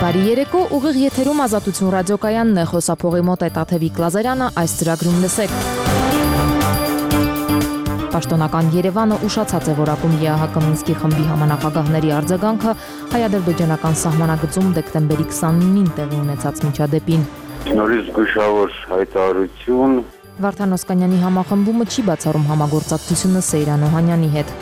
Բարի երեկո, ուղիղ եթերում Ազատություն ռադիոկայանն է, խոսափողի մոտ է Տաթևիկ Լազարյանը, այս ծրագրում լսեք։ Պաշտոնական Երևանը ուշացած է որակում ԵԱՀԿ Մինսկի խմբի համանախագահների արձագանքը հայ-ադրբեջանական սահմանագծում դեկտեմբերի 29-ին տեղի ունեցած միջադեպին։ Նորից զգուշավոր հայտարարություն։ Վարդան Օսկանյանի համախմբումը չի բացառում համագործակցությունը Սեյրան Օհանյանի հետ։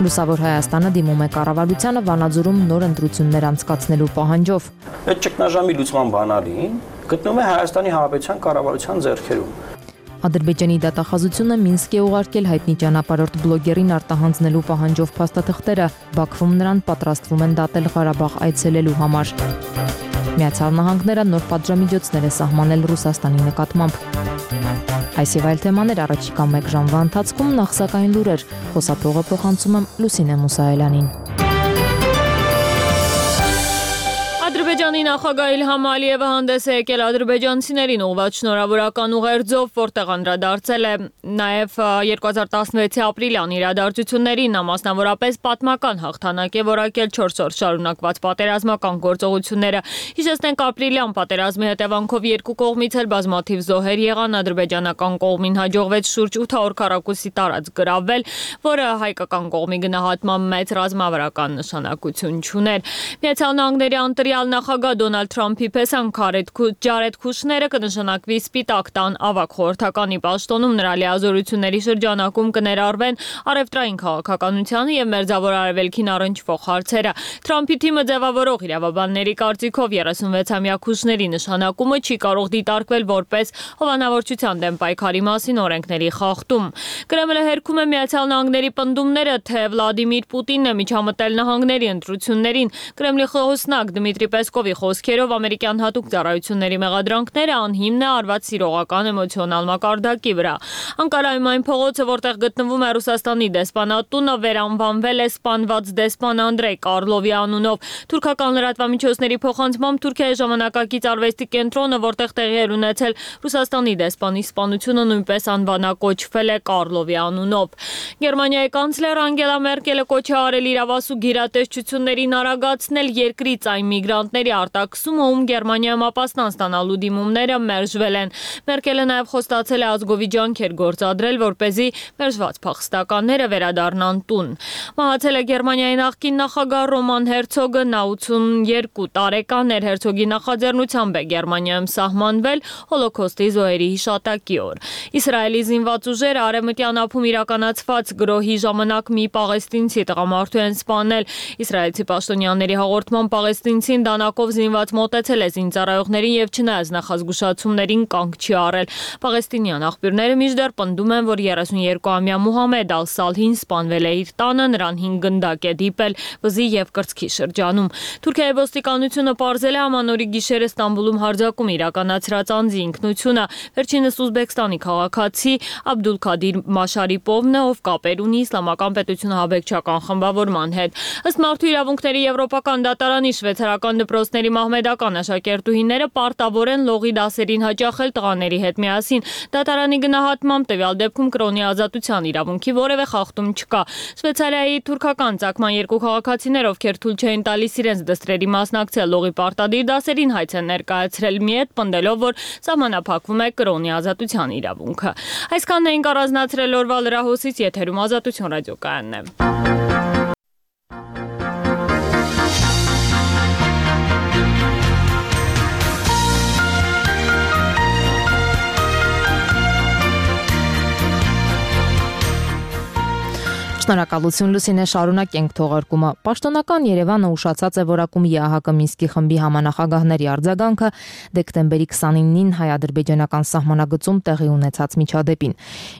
Լուսավոր Հայաստանը դիմում է կառավարությանը Վանաձորում նոր ընտրություններ անցկացնելու պահանջով։ Այդ ճգնաժամի լուծման բանալին գտնվում է Հայաստանի Հանրապետության կառավարության ձեռքերում։ Ադրբեջանի դատախազությունը Մինսկ է ուղարկել հայտնի ճանապարհորդ բլոգերին արտահանձնելու պահանջով փաստաթղթերը, Բաքվում նրան պատրաստվում են դատել Ղարաբաղ այցելելու համար։ Միացյալ Նահանգները նոր պատժամիջոցներ է սահմանել Ռուսաստանի նկատմամբ։ Այս եւ այլ թեմաներ առաջիկա 1 ժամվա ընթացքում, նախ սակայն լուրեր, խոսափողը փոխանցում եմ Լուսինե Մուսայելյանին։ Ադրբեջանի նախագահ Իլհամ Ալիևը հանդես է եկել ադրբեջանցիներին ուղղված շնորհավորական ուղերձով, որտեղ անդրադարձել է նաև 2016-ի ապրիլյան իրադարձություններին, նա մասնավորապես պատմական հաղթանակ է որակել 4 օր շարունակված պատերազմական գործողությունները։ Հիշեցնենք, ապրիլյան պատերազմի հետևանքով երկու կողմից էլ բազմաթիվ զոհեր եղան, ադրբեջանական կողմին հաջողվեց շուրջ 800 քառակուսի տարածք գրավել, որը հայկական կողմի գնահատմամբ մեծ ռազմավարական նշանակություն չուներ։ Միացյալ Նահանգների անդրյալ նախագահ Դոնալդ Թրամփի պես Ջարեդ Քուշները կնշանակվի Սպիտակ տան ավագ խորհրդականի պաշտոնում, նրա լիազորությունների շրջանակում կներառվեն առևտրային քաղաքականությանը եւ Մերձավոր Արևելքին առնչվող հարցերը։ Թրամփի թիմը ձևավորող իրավաբանների կարծիքով 36-ամյա Քուշների նշանակումը չի կարող դիտարկվել որպես հովանավորչության դեմ պայքարի մասին օրենքների խախտում։ Կրեմլը հերքում է Միացյալ Նահանգների պնդումները, թե Վլադիմիր Պուտինն է միջամտել նահանգների ընտրություններին։ Կրեմլի խոսնակ Դմիտրի Պեսկովի խոսքերով ամերիկյան հատուկ ծառայությունների մեղադրանքները անհիմն է արված սիրողական էմոցիոնալ մակարդակի վրա։ Անկարայում այն փողոցը, որտեղ գտնվում է Ռուսաստանի դեսպանատունը, վերանվանվել է սպանված դեսպան Անդրեյ Կարլովի անունով։ Թուրքական լրատվամիջոցների փոխանցմամբ Թուրքիայի ժամանակակից արվեստի կենտրոնը, որտեղ տեղի էր ունեցել Ռուսաստանի դեսպանի սպանությունը, նույնպես անվանակոչվել է Կարլովի անունով։ Գերմանիայի կանցլեր Անգելա Մերկելը կոչ է արել իրավասու գերատեսչություններին արագացնել երկրից այն միգրանտների արտաքսումը, ում Գերմանիայում ապաստան ստանալու դիմումները մերժվել են։ Մերկելը նաև խոստացել է ազգովի ջանքեր գործադրել, որպեսզի մերժված փախստականները վերադառնան տուն։ Մահացել է Գերմանիայի նախկին նախագահ Ռոման Հերցոգը, նա 82 տարեկան էր, Հերցոգի նախաձեռնությամբ է Գերմանիայում սահմանվել Հոլոքոստի զոհերի հիշատակի օր։ Իսրայելի զինված ուժերը արևմտյան ափում իրականացված գրոհի ժամանակ մի պաղեստինցի տղամարդու են սպանել։ Իսրայելցի պաշտոնյաների հաղորդմամբ պաղեստինցին դանակով զինված մոտեցել է զինծառայողներին եւ չնայած նախազգուշացումներին կանգ չի առել։ Պաղեստինյան աղբյուրները մինչդեռ պնդում են, որ 32-ամյա Մուհամեդ Ալ-Սալհին սպանվել է իր տանը, նրան 5 գնդակ է դիպել վզի եւ կրծքի շրջանում։ Թուրքիայի ոստիկանությունը պարզել է ամանորի գիշերը Ստամբուլում հարձակում իրականացրած անձի ինքնությունը։ Վերջինս Ուզբեկստանի քաղաքացի Աբդուլքադիր Մաշարիպովն է, ով կապեր ունի Իսլամական պետությունը ահաբեկչական խմբավորման հետ։ Ըստ Մարդու իրավունքների եվրոպական դատարանի շվեյցարական դպրոցների մահմեդական աշակերտուհիները պարտավոր են լողի դասերին հաճախել տղաների հետ միասին։ Դատարանի գնահատմամբ տվյալ դեպքում կրոնի ազատության իրավունքի որևէ խախտում չկա։ Շվեյցարիայի թուրքական ցակման երկու քաղաքացիներ, ովքեր թույլ չէին տալիս իրենց դստրերի մասնակցել լողի պարտադիր դասերին, հայց են ներկայացրել մի հետ, պնդելով, որ սահմանափակվում է կրոնի ազատության իրավունքը։ Այսքանն էինք առանձնացրել օրվա լրահոսից, եթերում Ազատություն ռադիոկայանն է։ Շնորհակալություն Լուսինե, շարունակենք թողարկումը։ Պաշտոնական Երևանը ուշացած է որակում ԵԱՀԿ Մինսկի խմբի համանախագահների արձագանքը դեկտեմբերի 29-ին հայ-ադրբեջանական սահմանագծում տեղի ունեցած միջադեպին։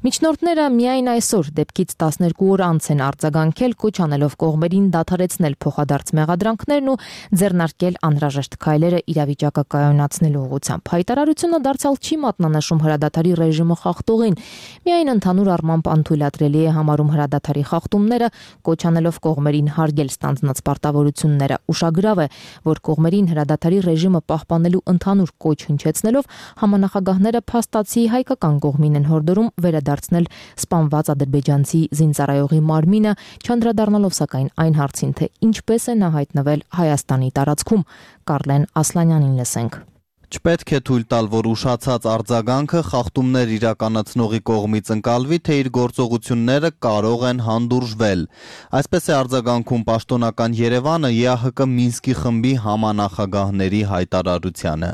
Միջնորդները միայն այսօր դեպքից 12 օր անց են արձագանքել, կոչ անելով կողմերին դադարեցնել փոխադարձ մեղադրանքներն ու ձեռնարկել անհրաժեշտ քայլերը իրավիճակը կայունացնելու ուղղությամբ։ Հայտարարությունը դարձյալ չի մատնանշում հրադադարի ռեժիմը խախտողին, միայն ընդհանուր առմամբ անթույլատրելի է համարում հրադադարի խախտումները, կոչանելով կողմերին հարգել ստանձնած պարտավորությունները։ Ուշագրավ է, որ կողմերին հրադադարի ռեժիմը պահպանելու ընդհանուր կոչ հնչեցնելով համանախագահները փաստացի հայկական կողմին են հորդորում վերադարձնել սպանված ադրբեջանցի զինծառայողի մարմինը, չանդրադառնալով սակայն այն հարցին, թե ինչպես է նա հայտնվել Հայաստանի տարածքում։ Կարլեն Ասլանյանին լսենք։ Չպետք է թույլ տալ, որ ուշացած արձագանքը խախտումներ իրականացնողի կողմից ընկալվի, թե իր գործողությունները կարող են հանդուրժվել։ Այսպես է արձագանքում պաշտոնական Երևանը ԵԱՀԿ Մինսկի խմբի համանախագահների հայտարարությանը։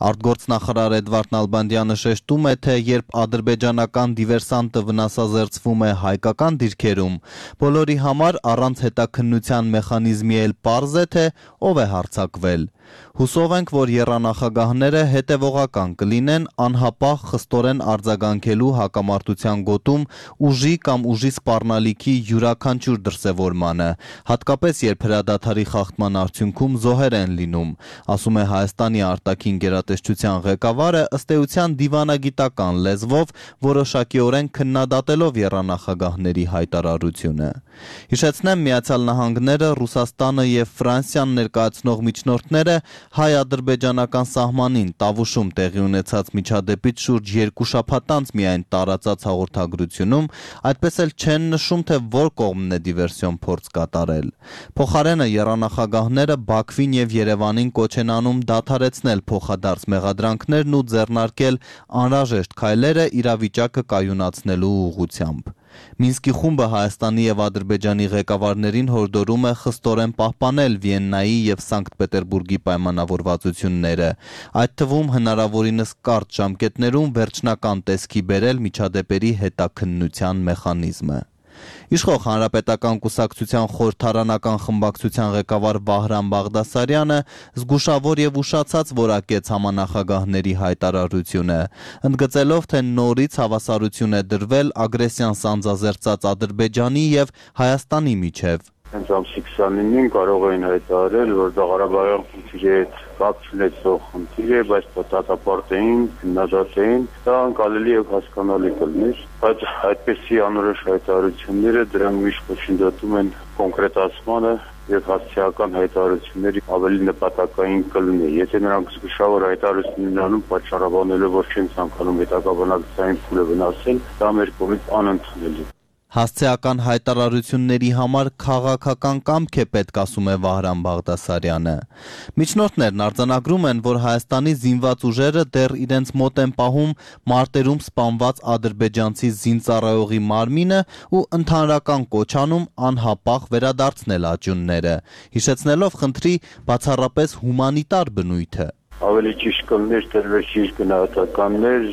Արտգործնախարար Էդվարդ Նալբանդյանը շեշտում է, թե երբ ադրբեջանական դիվերսանտը վնասազերծվում է հայկական դիրքերում, բոլորի համար առանց հետաքննության մեխանիզմի էլ պարզ է, թե ով է հարձակվել։ Հուսով ենք, որ եռանախագահները հետևողական կլինեն անհապաղ խստորեն արձագանքելու հակամարտության գոտում ուժի կամ ուժի սպառնալիքի յուրաքանչյուր դրսևորմանը, հատկապես երբ հրադադարի խախտման արդյունքում զոհեր են լինում, ասում է Հայաստանի արտաքին գերատեսչության ղեկավարը ըստ էության դիվանագիտական լեզվով որոշակիորեն քննադատելով եռանախագահների հայտարարությունը։ Հիշեցնեմ, Միացյալ Նահանգները, Ռուսաստանը եւ Ֆրանսիան ներկայացնող միջնորդները հայ-ադրբեջանական սահմանին Տավուշում տեղի ունեցած միջադեպից շուրջ 2 շաբաթ անց միայն տարածած հաղորդագրությունում այդպես էլ չեն նշում, թե որ կողմն է դիվերսիոն փորձ կատարել։ Փոխարենը եռանախագահները Բաքվին եւ Երևանին կոչ են անում դադարեցնել փոխադարձ մեղադրանքներն ու ձեռնարկել անհրաժեշտ քայլերը իրավիճակը կայունացնելու ուղղությամբ։ Մինսկի խումբը Հայաստանի եւ Ադրբեջանի ղեկավարներին հորդորում է խստորեն պահպանել Վիեննայի եւ Սանկտ Պետերբուրգի պայմանավորվածությունները, այդ թվում հնարավորինս կարճ ժամկետներում վերջնական տեսքի բերել միջադեպերի հետաքննության մեխանիզմը։ Իշխող Հանրապետական կուսակցության խորհրդարանական խմբակցության ղեկավար Վահրամ Բաղդասարյանը զգուշավոր եւ ուշացած որակեց համանախագահների հայտարարությունը, ընդգծելով, թե նորից հավասարություն է դրվել ագրեսիան սանձազերծած Ադրբեջանի եւ Հայաստանի միջև։ Հենց ամսի 29-ին կարող էին հայտարարել, որ դա Ղարաբաղյան խնդիրի հետ կապ ունեցող խնդիր է, բայց դատապարտեին, քննադատեին, դա անկալելի եւ հասկանալի կլներ, բայց այդպեսի անորոշ հայտարարությունները դրանք միշտ կոչնդոտում են կոնկրետացմանը եւ հասցեական հայտարարությունների ավելի նպատակային կլինի։ Եթե նրանք զգուշավոր հայտարարություններ անում, պատճառաբանելով, որ չեն ցանկանում հետագա բնակչության փուլը վնասել, դա մեր կողմից անընդունելի։ Հասցեական հայտարարությունների համար քաղաքական կամք է պետք, ասում է Վահրամ Բաղդասարյանը։ Միջնորդներն արձանագրում են, որ Հայաստանի զինված ուժերը դեռ իրենց մոտ են պահում մարտերում սպանված ադրբեջանցի զինծառայողի մարմինը ու ընդհանրական կոչ անում անհապաղ վերադարձնել աճյունները, հիշեցնելով խնդրի բացառապես հումանիտար բնույթը։ Ավելի ճիշտ կլներ տրվեցիր գնահատականներ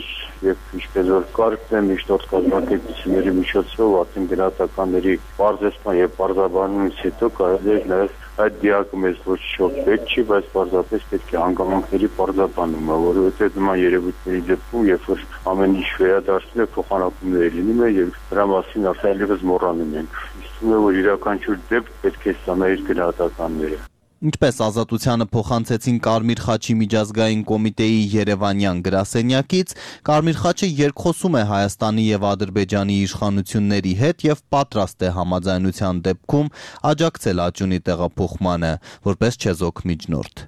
եւ ինչպես որ կարգն է միջնորդ կազմակերպությունների միջոցով արտին գնահատականների բարձրացման եւ բարձրաբանումից հետո կարելի է նաեւ այդ դիակը մեզ ոչ շոկ պետք չի, բայց պարզապես պետք է հանգամանքների բարձրաբանումը, որովհետեւ նման երևույթների դեպքում երբ որ ամեն ինչ վերադարձնում է փոխանակումներ լինում է եւ դրա մասին արդեն մոռանում ենք։ Իսկ որ յուրաքանչյուր դեպք պետք է ստանա իր գնահատականները։ Ինչպես Ազատությանը փոխանցեցին Կարմիր խաչի միջազգային կոմիտեի երևանյան գրասենյակից, Կարմիր խաչը երկխոսում է Հայաստանի եւ Ադրբեջանի իշխանությունների հետ եւ պատրաստ է համաձայնության դեպքում աջակցել աճյունի տեղափոխմանը, որպես չեզոք միջնորդ։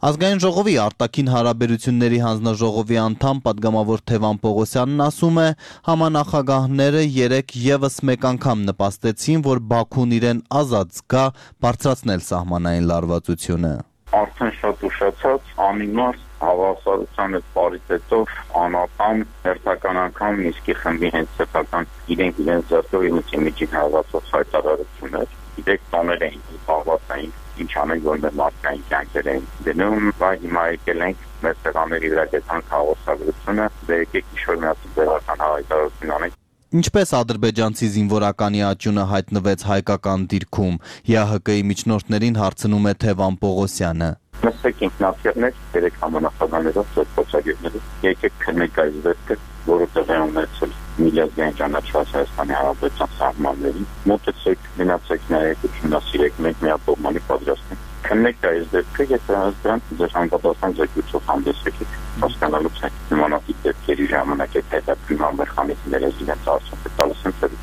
Ազգային ժողովի արտաքին հարաբերությունների հանձնաժողովի անդամ պատգամավոր Թևան Պողոսյանն ասում է, համանախագահները երեկ եւս մեկ անգամ նպաստեցին, որ Բաքուն իրեն ազատ զգա բարձրացնել սահմանային լարվածությունը։ Արդեն շատ ուշացած անիմաստ հավասարության հետ պարիտետով անապամ հերթական անգամ Մինսկի խմբի հենց սեփական իրենք ձեռքով իրենց միջին հավասարած հայտարարություններ, իրենք տոներ էին պահվածային ինչ անենք, որ մեր մարդկային կյանքեր էին դնում, բայց հիմա եկել ենք մեր սեղանների վրա գտանք հաղորդագրությունը, եկեք ինչ-որ միասին ձեռական հայտարարություն անենք։ Ինչպես ադրբեջանցի զինվորականի աճյունը հայտնվեց հայկական դիրքում, ԵԱՀԿ-ի միջնորդներին հարցնում է Թևան Պողոսյանը։ Մսեք ինքնաթիռներ, 3 համանախագահներով, 4 փոխագետներով, եկեք քննեք այս դեպքը, որը տեղի ունեցել միլիարդային ճանաչված Հայաստանի Հանրապետության սահմաններին, մոտեցեք, մնացեք նայեք, ուսումնասիրեք, մենք միապողմանի պատրաստ ենք։ Քննեք այս դեպքը եւ դրանք ձեր համապատասխան զեկույցով հանդես եկեք, հասկանալուց նմանատիպ դեպքերի ժամանակ հետաքրքրման մեխանիզմները իրենց արդյունքը տալիս են ծրիչ։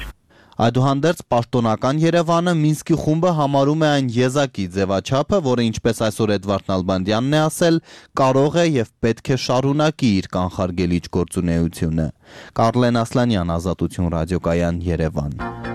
Այդուհանդերձ պաշտոնական Երևանը Մինսկի խումբը համարում է այն եզակի ձևաչափը, որը ինչպես այսօր Էդվարդ Նալբանդյանն է ասել, կարող է եւ պետք է շարունակի իր կանխարգելիչ գործունեությունը։ Կարլեն Ասլանյան, Ազատություն ռադիոկայան, Երևան։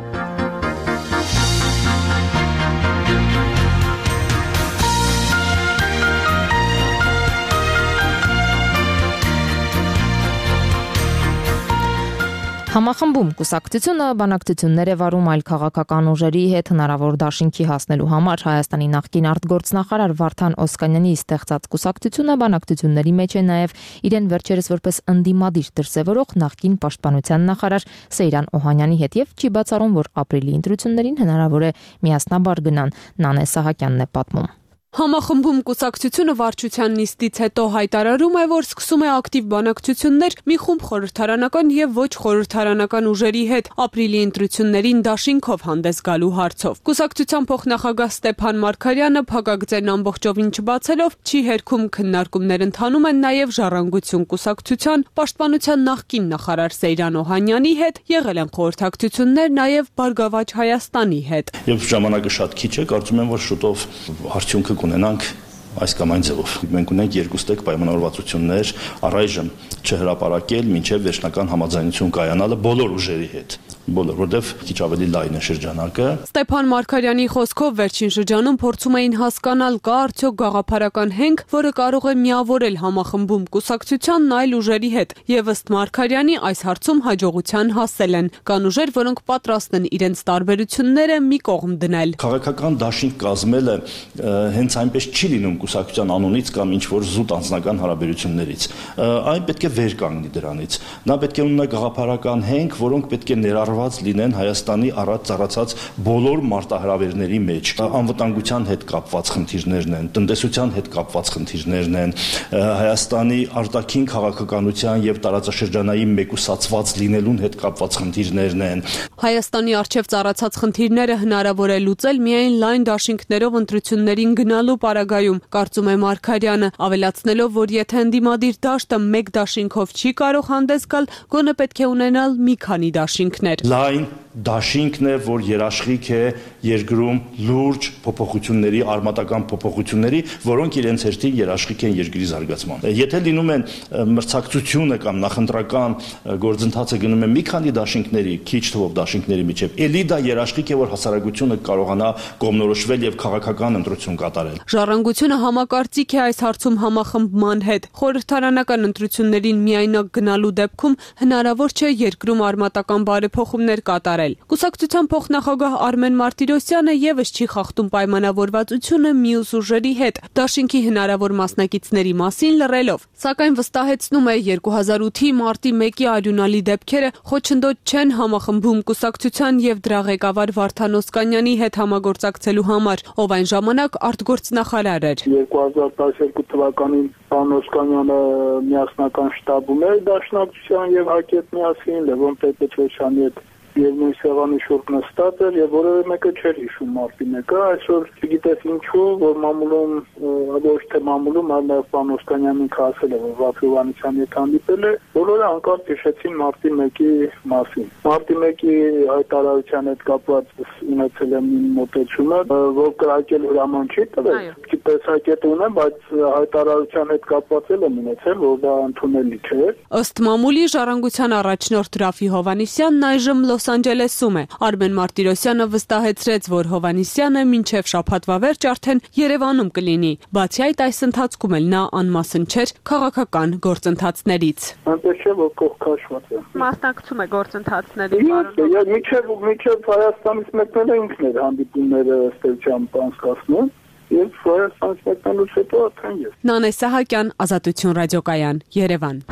Համախմբում կուսակցությունը բանակցություններ է վարում այլ քաղաքական ուժերի հետ հնարավոր դաշինքի հասնելու համար Հայաստանի նախկին արտգործնախարար Վարդան Օսկանյանի ստեղծած կուսակցությունը բանակցությունների մեջ է նաև իրեն վերջերս որպես ընդդիմադիր դրսևորող նախկին պաշտպանության նախարար Սեյրան Օհանյանի հետ եւ չի բացառում, որ ապրիլի ընտրություններին հնարավոր է միասնաբար գնան։ Նանե Սահակյանն է պատմում։ Համախմբում կուսակցությունը վարչության նիստից հետո հայտարարում է, որ սկսում է ակտիվ բանակցություններ մի խումբ խորհրդարանական եւ ոչ խորհրդարանական ուժերի հետ ապրիլի ընտրություններին դաշինքով հանդես գալու հարցով։ Կուսակցության փոխնախագահ Ստեփան Մարգարյանը փակագծերն ամբողջովին չբացելով չի հերքում քննարկումներ ընթանում են նաեւ Ժառանգություն կուսակցության պաշտպանության նախկին նախարար Սեյրան Օհանյանի հետ, եղել են խորհրդակցություններ նաեւ Բարգավաճ Հայաստանի հետ։ Եվ ժամանակը շատ քիչ է, կարծում եմ, որ շուտով արդյունքը կունենանք այս կամ այն ձևով։ Մենք ունենք երկու ստեկ պայմանավորվածություններ առայժմ չհրապարակել մինչև վերջնական համաձայնություն կայանալը բոլոր ուժերի հետ, որտեղ քիչ ավելի լայն է շրջանակը։ Ստեփան Մարգարյանի խոսքով վերջին շրջանում փորձում էին հասկանալ կա արդյոք գաղափարական հենք, որը կարող է միավորել համախմբում կուսակցությանն այլ ուժերի հետ, եւ ըստ Մարգարյանի այս հարցում հաջողության հասել են։ Կան ուժեր, որոնք պատրաստ են իրենց տարբերությունները մի կողմ դնել։ Քաղաքական դաշինք կազմելը հենց այնպես չի լինում կուսակցության անունից կամ ինչ որ զուտ անձնական հարաբերություններից։ Այն պետք է վեր կանգնի դրանից։ Նա պետք է ունենա գաղափարական հենք, որոնք պետք է ներառված լինեն Հայաստանի առած ծառացած բոլոր մարտահրավերների մեջ։ Անվտանգության հետ կապված խնդիրներն են, տնտեսության հետ կապված խնդիրներն են, Հայաստանի արտաքին քաղաքականության եւ տարածաշրջանային մեկուսացված լինելուն հետ կապված խնդիրներն են։ Հայաստանի արչեւ ծառացած խնդիրները հնարավոր է լուծել միայն լայն դաշինքներով ընտրություններին գնալու պարագայում, կարծում է Մարգարյանը, ավելացնելով, որ եթե ընդդիմադիր դաշտը մեկ դաշինքով չի կարող հանդես գալ, գոնե պետք է ունենալ մի քանի դաշինքներ։ Լայն դաշինքն է, որ երաշխիք է երկրում լուրջ փոփոխությունների, արմատական փոփոխությունների, որոնք իրենց հերթին երաշխիք են երկրի զարգացման։ Եթե լինում են մրցակցությունը կամ նախընտրական գործընթացը գնում է մի քանի դաշինքների, քիչ թվով դաշինքների միջև, ելի դա երաշխիք է, որ հասարակությունը կարողանա կողմնորոշվել եւ քաղաքական ընտրություն կատարել։ Ժառանգությունը համակարծիք է այս հարցում համախմբման հետ։ Խորհրդարանական ընտրություններին միայնակ գնալու դեպքում հնարավոր չէ երկրում արմատական բարեփոխումներ կատարել։ Կուսակցության փոխնախագահ Արմեն Մարտիրոսյանը եւս չի խախտում պայմանավորվածությունը մյուս ուժերի հետ, դաշինքի հնարավոր մասնակիցների մասին լռելով, սակայն վստահեցնում է 2008-ի մարտի 1-ի արյունալի դեպքերը խոչընդոտ չեն համախմբում կուսակցության եւ դրա ղեկավար Վարդան Օսկանյանի հետ համագործակցելու համար, ով այն ժամանակ արտգործնախարար էր։ 2012 թվականին պարոն Օսկանյանը միասնական շտաբում էր դաշնակցության եւ ՀԱԿ-ի հետ միասին, Լևոն Տեր-Պետրոսյանի հետ եւ նույն սեղանի շուրջ նստած էր եւ որևէ մեկը չէր հիշում մարտի 1-ը, այսօր չգիտես ինչու, որ մամուլում, ոչ թե մամուլում, այլ նաեւ պարոն Օսկանյանին ասել է, որ Վարդան Հովհաննիսյանի հետ հանդիպել է, բոլորը անկարծ հիշեցին մարտի 1-ի մասին։ Մարտի 1-ի հայտարարության հետ կապված ունեցել եմ իմ մոտեցումը, որ կրակել հրաման չի տվել, տեսակետ ունեմ, բայց հայտարարության հետ կապված եմ ունեցել, որ դա ընդունելի չէ։ Ըստ մամուլի Ժառանգության առաջնորդ Ռաֆի Հովհաննիսյանն այժմ Լոս Անջելեսում է։ Արմեն Մարտիրոսյանը վստահեցրեց, որ Հովհաննիսյանը մինչև շաբաթվա վերջ արդեն Երևանում կլինի։ Բացի այդ, այս ընթացքում էլ նա անմասն չէր քաղաքական գործընթացներից։ Այնպես չէ, որ կողքաշված է։ Մասնակցում է գործընթացներին, պարոն։ Միջև Հայաստանից մեկնել ինքն էր հանդիպումները ըստեյությամբ անցկացնում։ Եվ Հայաստանից մեկնելուց հետո արդեն ես։ Նանե Սահակյան, Ազատություն ռադիոկայան, Երևան։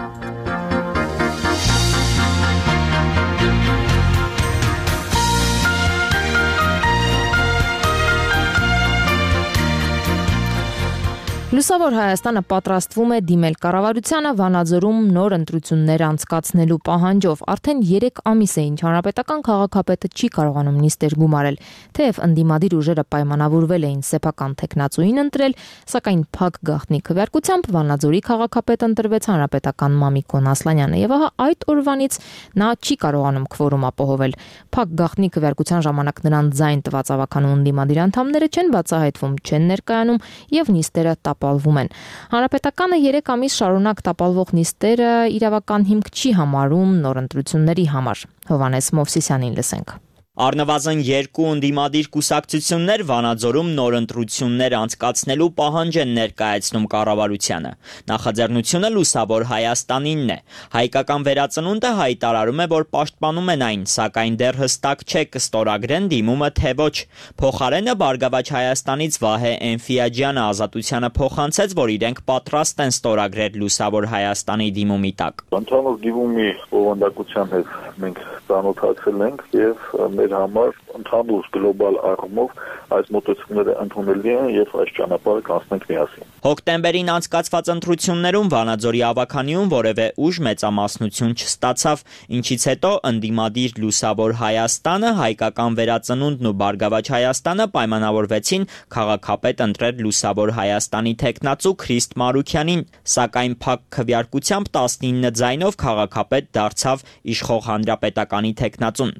Լուսավոր Հայաստանը պատրաստվում է դիմել կառավարությանը Վանաձորում նոր ընտրություններ անցկացնելու պահանջով։ Արդեն 3 ամիս է, ինչ հանրապետական քաղաքապետը չի կարողանում նիստեր գումարել, թեև ընդդիմադիր ուժերը պայմանավորվել էին սեփական տեխնացուին ընտրել, սակայն փակ գաղտնի քվեարկությամբ Վանաձորի քաղաքապետ ընտրվեց հանրապետական Մամիկոն Ասլանյանը, եւ ահա այդ օրվանից նա չի կարողանում քվորում ապահովել։ Փակ գաղտնի քվեարկության ժամանակ նրան ձայն տված ավականու ընդդիմադիր անդամները չեն բացահայտվում, չեն ներկայանում եւ նիստերը տապալվում են։ Հանրապետականը 3 ամիս շարունակ տապալվող նիստերը իրավական հիմք չի համարում նոր ընտրությունների համար։ Հովհաննես Մովսիսյանին լսենք։ Առնվազն 2 ընդդիմադիր կուսակցություններ Վանաձորում նոր ընտրություններ անցկացնելու պահանջ են ներկայացնում կառավարությանը։ Նախաձեռնությունը Լուսավոր Հայաստանինն է։ Հայկական վերածնունդը հայտարարում է, որ պաշտպանում են այն, սակայն դեռ հստակ չէ կստորագրեն դիմումը թե ոչ։ Փոխարենը Բարգավաճ Հայաստանից Վահե Էնֆիաջյանը Ազատությանը փոխանցեց, որ իրենք պատրաստ են ստորագրել Լուսավոր Հայաստանի դիմումի տակ։ Ընդհանուր դիմումի բովանդակության հետ մենք ծանոթացել ենք եւ մեր համար ընդհանուր գլոբալ առումով այս մոտեցումները ընդունելի են եւ այս ճանապարհը կանցնենք միասին։ Հոկտեմբերին անցկացված ընտրություններում Վանաձորի ավականիում որևէ ուժ մեծամասնություն չստացավ, ինչից հետո ընդդիմադիր Լուսավոր Հայաստանը, Հայկական վերածնունդն ու Բարգավաճ Հայաստանը պայմանավորվեցին քաղաքապետ ընտրել Լուսավոր Հայաստանի տեխնացու Քրիստ Մարուքյանին, սակայն փակ քվեարկությամբ 19 ձայնով քաղաքապետ դարձավ իշխող հանրապետականի տեխնացուն։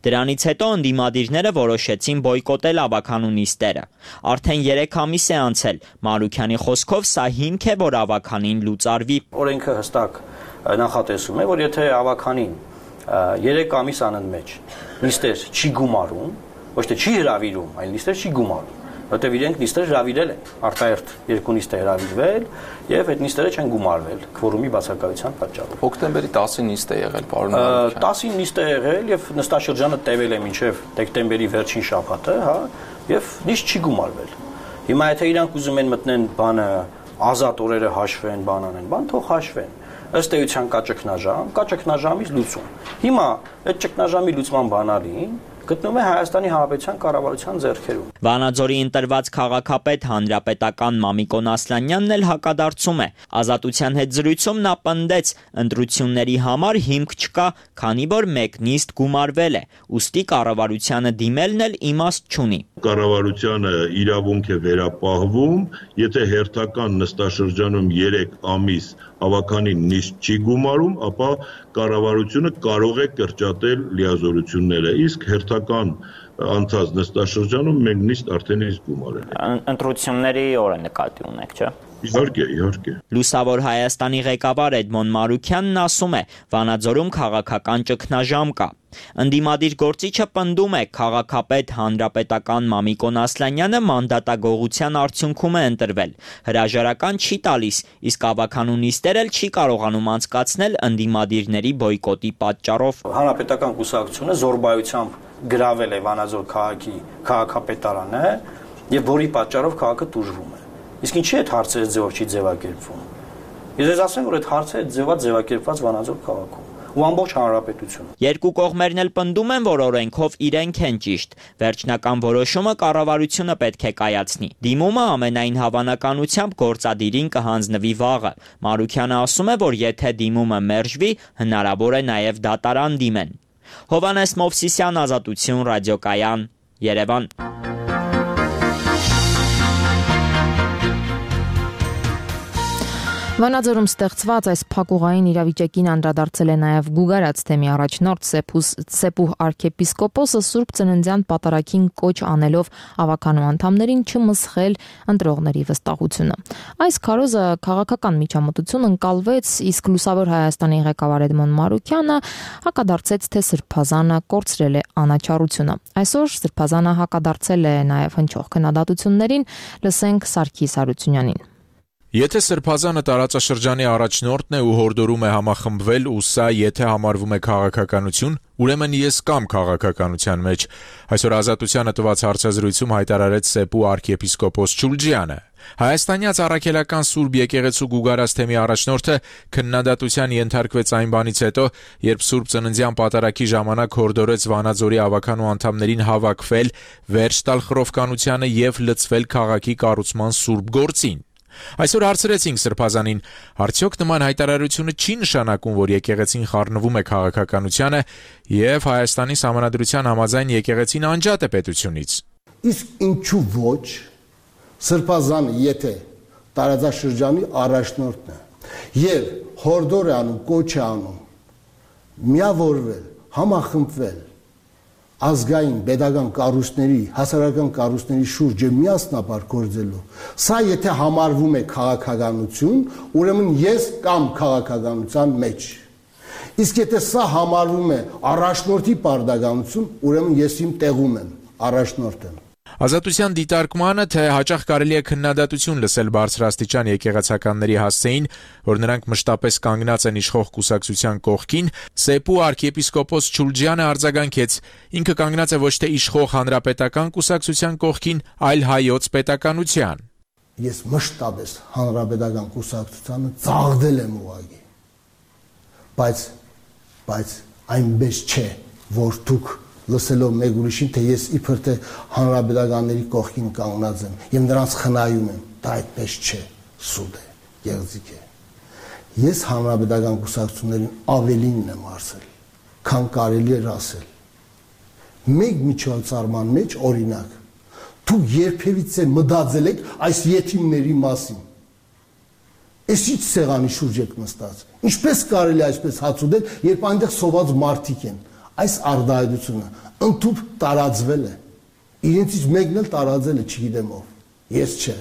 Դրանից հետո ընդդիմադիրները որոշեցին բոյկոտել ավականու նիստերը։ Արդեն 3 ամիս է անցել։ Մարուքյանի խոսքով սա հիմք է, որ ավականին լուծարվի։ Օրենքը հստակ նախատեսում է, որ եթե ավականին 3 ամիս անընդմեջ նիստեր չի գումարում, ոչ թե չի հրավիրում, այլ նիստեր չի գումարում, որտեղ իրենք նիստեր հրավիրել են, արտահերթ 2 նիստ է հրավիրվել եւ այդ նիստերը չեն գումարվել քվորումի բացակայության պատճառով։ Հոկտեմբերի 10-ին նիստ է եղել, պարոն Մարուքյան։ 10-ին նիստ է եղել եւ նստաշրջանը տևել է մինչեւ դեկտեմբերի վերջին շաբաթը, հա, եւ նիստ չի գումարվել։ Հիմա եթե իրանք ուզում են մտնեն բանը ազատ օրերը հաշվեն, բան անեն, բան թող հաշվեն։ Ըստ էության կա ճգնաժամից լուծում։ Հիմա այդ ճգնաժամի լուծման բանալին գտնվում է Հայաստանի Հանրապետության կառավարության ձեռքերում։ Վանաձորի ընտրված քաղաքապետ հանրապետական Մամիկոն Ասլանյանն էլ հակադարձում է։ Ազատության հետ զրույցում նա պնդեց, ընտրությունների համար հիմք չկա, քանի որ մեկ նիստ գումարվել է, ուստի կառավարությանը դիմելն էլ իմաստ չունի։ Կառավարությանը իրավունք է վերապահվում, եթե հերթական նստաշրջանում 3 ամիս ավականին նիստ չի գումարում, ապա կառավարությունը կարող է կրճատել լիազորությունները, իսկ հերթական անցած նստաշրջանում մենք նիստ արդեն իսկ գումարել ենք։ Ընտրությունների օրը նկատի ունեք, չէ՞։ Իհարկե։ Լուսավոր Հայաստանի ղեկավար Էդմոն Մարուքյանն ասում է, Վանաձորում քաղաքական ճգնաժամ կա։ Ընդդիմադիր գործիչը պնդում է, քաղաքապետ հանրապետական Մամիկոն Ասլանյանը մանդատագողության արդյունքում է ընտրվել։ Հրաժարական չի տալիս, իսկ ավականու նիստեր էլ չի կարողանում անցկացնել ընդդիմադիրների բոյկոտի պատճառով։ Հանրապետական կուսակցությունը զորբայությամբ գրավել է Վանաձոր քաղաքի քաղաքապետարանը եւ որի պատճառով քաղաքը տուժվում է։ Իսկ ինչի՞ այդ հարցերը ձևով չի ձևակերպվում։ Ես ասեմ, որ այդ հարցերը ձևակերպված Վանաձոր քաղաքում ու ամբողջ հանրապետությունը։ Երկու կողմերն էլ պնդում են, որ օրենքով իրենք են ճիշտ։ Վերջնական որոշումը կառավարությունը պետք է կայացնի։ Դիմումը ամենայն հավանականությամբ գործադիրին կհանձնվի վաղը։ Մարուքյանը ասում է, որ եթե դիմումը մերժվի, հնարավոր է նաև դատարան դիմեն։ Հովհաննես Մովսիսյան, Ազատություն, ռադիոկայան, Երևան։ Վանաձորում ստեղծված այս փակուղային իրավիճակին անդրադարձել է նաև Գուգարաց թեմի առաջնորդ Սեպուհ arczepiskopos-ը Սուրբ Ծննդյան պատարագին կոչ անելով ավականու անդամներին չմսխել ընտրողների վստահությունը։ Այս քարոզը քաղաքական միջամտություն ընկալվեց, իսկ Լուսավոր Հայաստանի ղեկավար Էդմոն Մարուքյանը հակադարձեց, թե Սրբազանը կորցրել է անաչառությունը։ Այսօր Սրբազանը հակադարձել է նաև հնչող քննադատություններին, լսենք Սարգիս Հարությունյանին։ Եթե Սրբազանը տարածաշրջանի առաջնորդն է ու հորդորում է համախմբվել ու սա եթե համարվում է քաղաքականություն, ուրեմն ես կամ քաղաքականության մեջ, այսօր Ազատությանը տված հարցազրույցում հայտարարեց Սեպու arczepiskopos Չուլջյանը։ Հայաստանյաց առաքելական Սուրբ եկեղեցու Գուգարաց թեմի առաջնորդը քննադատության ենթարկվեց այն բանից հետո, երբ Սուրբ Ծննդյան պատարագի ժամանակ հորդորեց Վանաձորի ավականու անդամներին հավաքվել, վերջ տալ խռովկանությանը եւ լծվել քաղաքի կառուցման սուրբ գործին։ Այսօր հարցրեցինք Սրբազանին, արդյոք նման հայտարարությունը չի նշանակում, որ եկեղեցին խառնվում է քաղաքականությանը եւ Հայաստանի Սահմանադրության համաձայն եկեղեցին անջատ է պետությունից։ Իսկ ինչու ոչ, Սրբազանը եթե տարածաշրջանի առաջնորդն է եւ հորդոր է անում, կոչ է անում, միավորվել, համախմբվել ազգային, pedagogan կառույցների, հասարակական կառույցների շուրջ միասնաբար գործելու։ Սա եթե համարվում է քաղաքականություն, ուրեմն ես կամ քաղաքականության մեջ։ Իսկ եթե սա համարվում է առաջնորդի պարտականություն, ուրեմն ես իմ տեղում եմ, առաջնորդ եմ։ Ազատության դիտարկմանը, թե հաճախ կարելի է քննադատություն լսել բարձրաստիճան եկեղեցականների հասցեին, որ նրանք մշտապես կանգնած են իշխող կուսակցության կողքին, Սեփու arczepiskopos Չուլջյանը արձագանքեց, ինքը կանգնած է ոչ թե իշխող հանրապետական կուսակցության կողքին, այլ հայոց պետականության։ Ես մշտապես հանրապետական կուսակցությանը ծաղրել եմ ուղղակի։ Բայց այնպես չէ, որ դուք լսելով մեկ ուրիշին, թե ես իբր թե հանրապետականների կողքին կանգնած եմ եւ նրանց խնայում եմ, դա այդպես չէ, սուտ է, գեղձիկ է։ Ես հանրապետական կուսակցություններին ավելինն եմ ասել, քան կարելի էր ասել։ Մեկ միջոցառման մեջ օրինակ, դուք երբևիցե մտածել եք այս յետիմների մասին։ Այս ինչ սեղանի շուրջ եք նստած։ Ինչպես կարելի այսպես հաց ուտել, երբ այնտեղ սոված մարդիկ են։ Այս արդայությունը ընդཐུպ տարածվել է։ Իրենցից մեկն էլ տարածել է, չգիտեմ ով։ Ես չէ։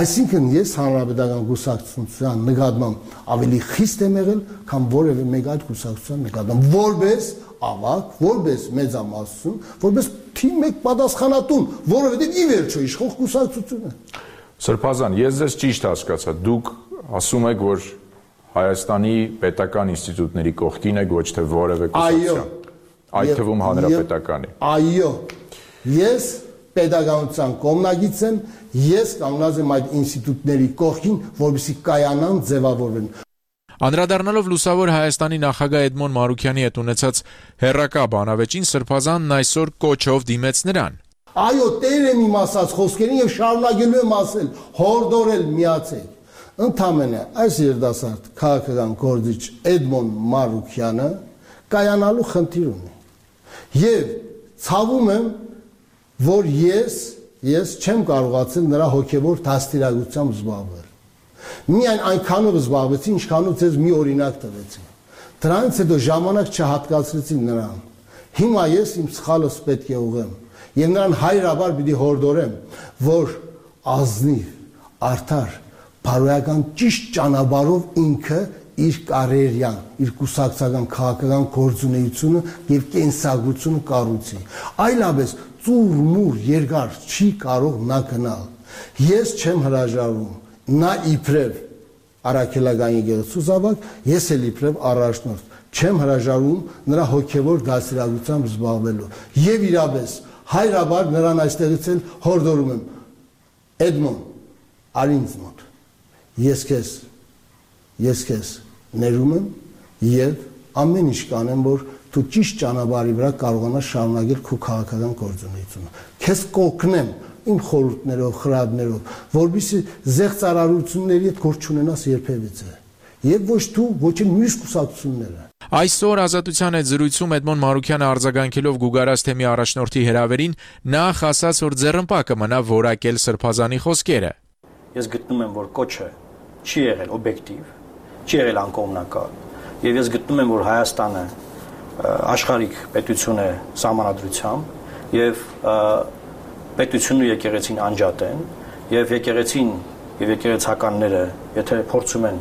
Այսինքն ես հանրապետական կուսակցության նկատմամբ ավելի խիստ եմ եղել, քան որևէ մեկ այլ կուսակցության նկատմամբ, որպես ավակ, որպես մեծամասնություն, որպես թիմ մեկ պատասխանատուն, որովհետև ի վերջո իշխող կուսակցությունը։ Սրբազան, ես ձեզ ճիշտ հասկացա, դուք ասում եք, որ Հայաստանի պետական ինստիտուտների կողքին եք, ոչ թե որևէ կուսակցության, այդ թվում հանրապետականի։ Այո, ես պետականության կողմնակից եմ, ես կանգնած եմ այդ ինստիտուտների կողքին, որպեսզի կայանան, ձևավորվեն։ Անդրադառնալով Լուսավոր Հայաստանի նախագահ Էդմոն Մարուքյանի հետ ունեցած հերրակա բանավեճին, Սրբազանն այսօր կոչով դիմեց նրան։ Այո, տեր եմ իմ ասած խոսքերին եւ շարունակելու եմ ասել, հորդորել միացեք։ Ընդամենը այս երդասարդ քաղաքական գործիչ Էդմոն Մարուքյանը կայանալու խնդիր ունի։ Եվ ցավում եմ, որ ես չեմ կարողացել նրա հոգևոր դաստիարակությամբ զբաղվել։ Միայն այնքանով զբաղվեցի, ինչքանով ձեզ մի օրինակ տվեցի։ Դրանից հետո ժամանակ չհատկացրեցի նրան։ Հիմա ես իմ սխալս պետք է ուղղեմ եւ նրան հայրաբար պիտի հորդորեմ, որ ազնիվ, արդար, բարոյական ճիշտ ճանապարհով ինքը իր կարիերան, իր կուսակցական քաղաքական գործունեությունը եւ կենսագրությունը կառուցի։ Այլապես ծուռ-մուռ երկար չի կարող նա գնալ։ Ես չեմ հրաժարվում, նա իբրև առաքելական եկեղեցու զավակ, ես էլ իբրև առաջնորդ, չեմ հրաժարվում նրա հոգևոր դաստիարակությամբ զբաղվելու։ Եվ իրապես հայրաբար նրան այստեղից էլ հորդորում եմ, Էդմոն, արի ինձ մոտ, ես քեզ ներում եմ եւ ամեն ինչ կանեմ, որ դու ճիշտ ճանապարհի վրա կարողանաս շարունակել քո քաղաքական գործունեությունը։ Քեզ կօգնեմ իմ խորհուրդներով, խրատներով, որովհետեւ զեղծարարությունների հետ գործ չունենաս երբևիցե։ Եվ ոչ դու, ոչ էլ մյուս կուսակցությունները։ Այսօր Ազատության հետ զրույցում Էդմոն Մարուքյանը արձագանքելով Գուգարաց թեմի առաջնորդի հրավերին նախ ասաց, որ ձեռնպակը մնա որակել Սրբազանի խոսքերը։ Ես գտնում եմ, որ կոչը չի եղել օբյեկտիվ, չի եղել անկողմնակալ, եւ ես գտնում եմ, որ Հայաստանը աշխարհիկ պետություն է սահմանադրությամբ եւ պետությունն ու եկեղեցին անջատ են եւ եկեղեցին եւ եկեղեցականները, եթե փորձում են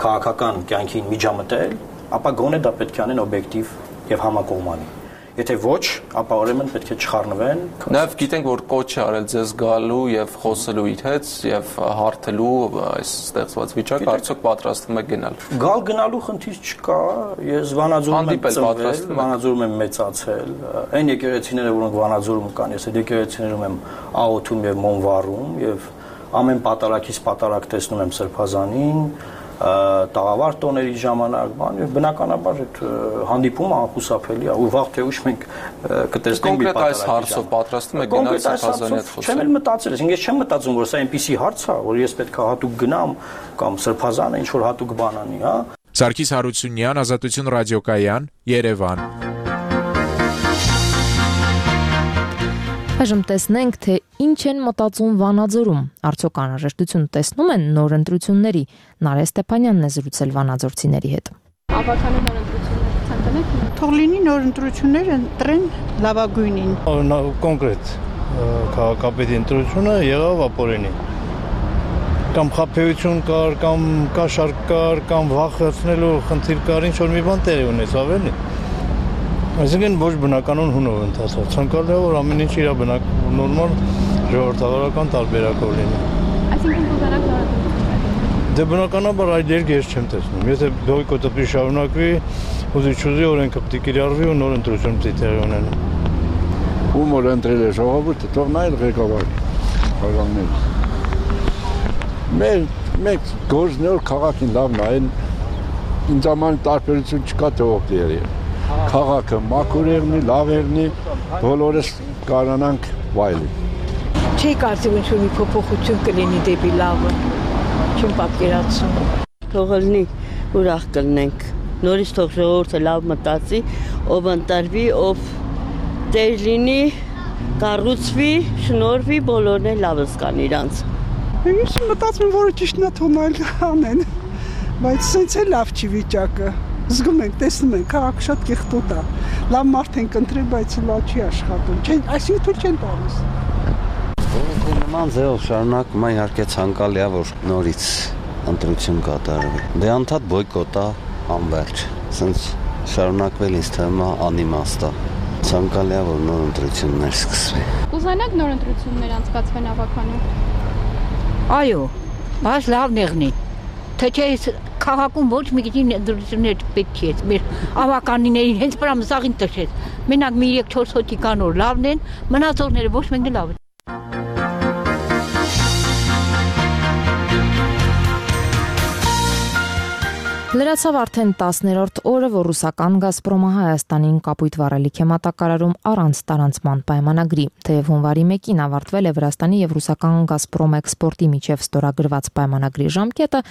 քաղաքական կյանքին միջամտել, ապա գոնե դա պետք է անեն օբյեկտիվ եւ համակողմանի։ Եթե ոչ, ապա ուրեմն պետք է չխառնվեն։ Նաեւ գիտենք, որ կոչ է արել ձեզ գալու եւ խոսելու իր հետ եւ հարթելու այս ստեղծված վիճակը, արդյոք պատրաստվում եք գնալ։ Գալ գնալու խնդիր չկա, ես Վանաձորում եմ ծնվել, Վանաձորում եմ մեծացել։ Այն եկեղեցիները, որոնք Վանաձորում կան, ես այդ եկեղեցիներում եմ աղոթում եւ մոմվառում եւ ամեն պատարակից պատարակ տեսնում եմ Սրբազանին, տաղավար տոների ժամանակ, բան եւ բնականաբար այդ հանդիպումը անխուսափելի է, ու վաղ թե ուշ մենք կտեսնենք մի կոնկրետ այս հարցով պատրաստվում եք գնալ Սրբազանի հետ խոսել։ Չեմ էլ մտածել, ես չեմ մտածում, որ սա այնպիսի հարց է, որ ես պետք է հատուկ գնամ կամ Սրբազանը ինչ որ հատուկ բան անի, հա։ Սարգիս Հարությունյան, Ազատություն ռադիոկայան, Երևան։ Այժմ տեսնենք, թե ինչ են մտածում Վանաձորում։ Արդյոք անհրաժեշտություն տեսնում են նոր ընտրությունների։ Նարէ Ստեփանյանն է զրուցել վանաձորցիների հետ։ Ավականու նոր ընտրությունների ցանկանեք։ Թող լինի նոր ընտրություններ ընտրեն լավագույնին։ Կոնկրետ քաղաքապետի ընտրությունը եղավ ապօրինի։ Կամ խաբեություն կար, կամ կաշառք կար, կամ վախեցնելու խնդիր կար, ինչ որ մի բան տեղի ունեցավ էլի։ Այսինքն ոչ բնականon հունով ընթացավ։ Ցանկալի է որ ամեն ինչ իր նորմալ ժողովրդավարական տարբերակով լինի։ Այսինքն կուզենաք նոր ընտրություններ։ Դե բնականաբար այդ երկը ես չեմ տեսնում։ Եթե բոյկոտը պիտի շարունակվի, ուզի օրենքը պիտի կիրառվի ու նոր ընտրություն պիտի տեղի ունենա։ Ում որ ընտրել է ժողովուրդը, թող նա էլ ղեկավարի քաղաքները։ Մեկ գործնոր քաղաքին լավ նայեն, ինձ համար տարբերություն չկա թե ով դերի։ Քաղաքը մաքուր եղնի, լավ եղնի, բոլորս կարողանանք վայելի։ Չի կարծում ինչ-որ մի փոփոխություն կլինի դեպի լավը։ Չեմ պատկերացնում։ Թող լինի, ուրախ կլինենք։ Նորից թող ժողովուրդը լավ մտածի, ով ընտրվի, ով տեր լինի, կառուցվի, շնորհվի, բոլորն էլ լավը զգան իրանց։ Ես մտածում եմ, որ ճիշտն է թողնել անեն, բայց սենց է լավ չի վիճակը։ Զգում ենք, տեսնում ենք, քաղաքը շատ կեղտոտ է։ Լավ մարդ ենք ընտրել, բայց լավ չի աշխատում։ Այսինքն թույլ չեն տալիս։ Նման ձևով շարունակում է իհարկե ցանկալի է, որ նորից ընտրություն կատարվի։ Դե անդադ բոյկոտ է, անվերջ։ Սենց շարունակվել ինձ թվում է անիմաստ է։ Ցանկալի է, որ նոր ընտրություններ սկսվի։ Կուզենաք նոր ընտրություններ անցկացվեն ավականու։ Այո, բայց լավ եղնի։ Թե չէ քաղաքում ոչ մի քիչ ընտրություններ պետք է մեր ավականիներին հենց վրա մսաղին տշեց։ Մենակ մի 3-4 հոգի կան որ լավն են, մնացողները ոչ մեկն լավ են։ Լրացավ արդեն 10-րդ օրը, որ ռուսական «Գազպրոմը» Հայաստանին կապույտ վառելիք է մատակարարում առանց տարանցման պայմանագրի։ Թեև հունվարի 1-ին ավարտվել է Վրաստանի եւ ռուսական «Գազպրոմ» էքսպորտի միջև ստորագրված պայմանագրի ժամկետը,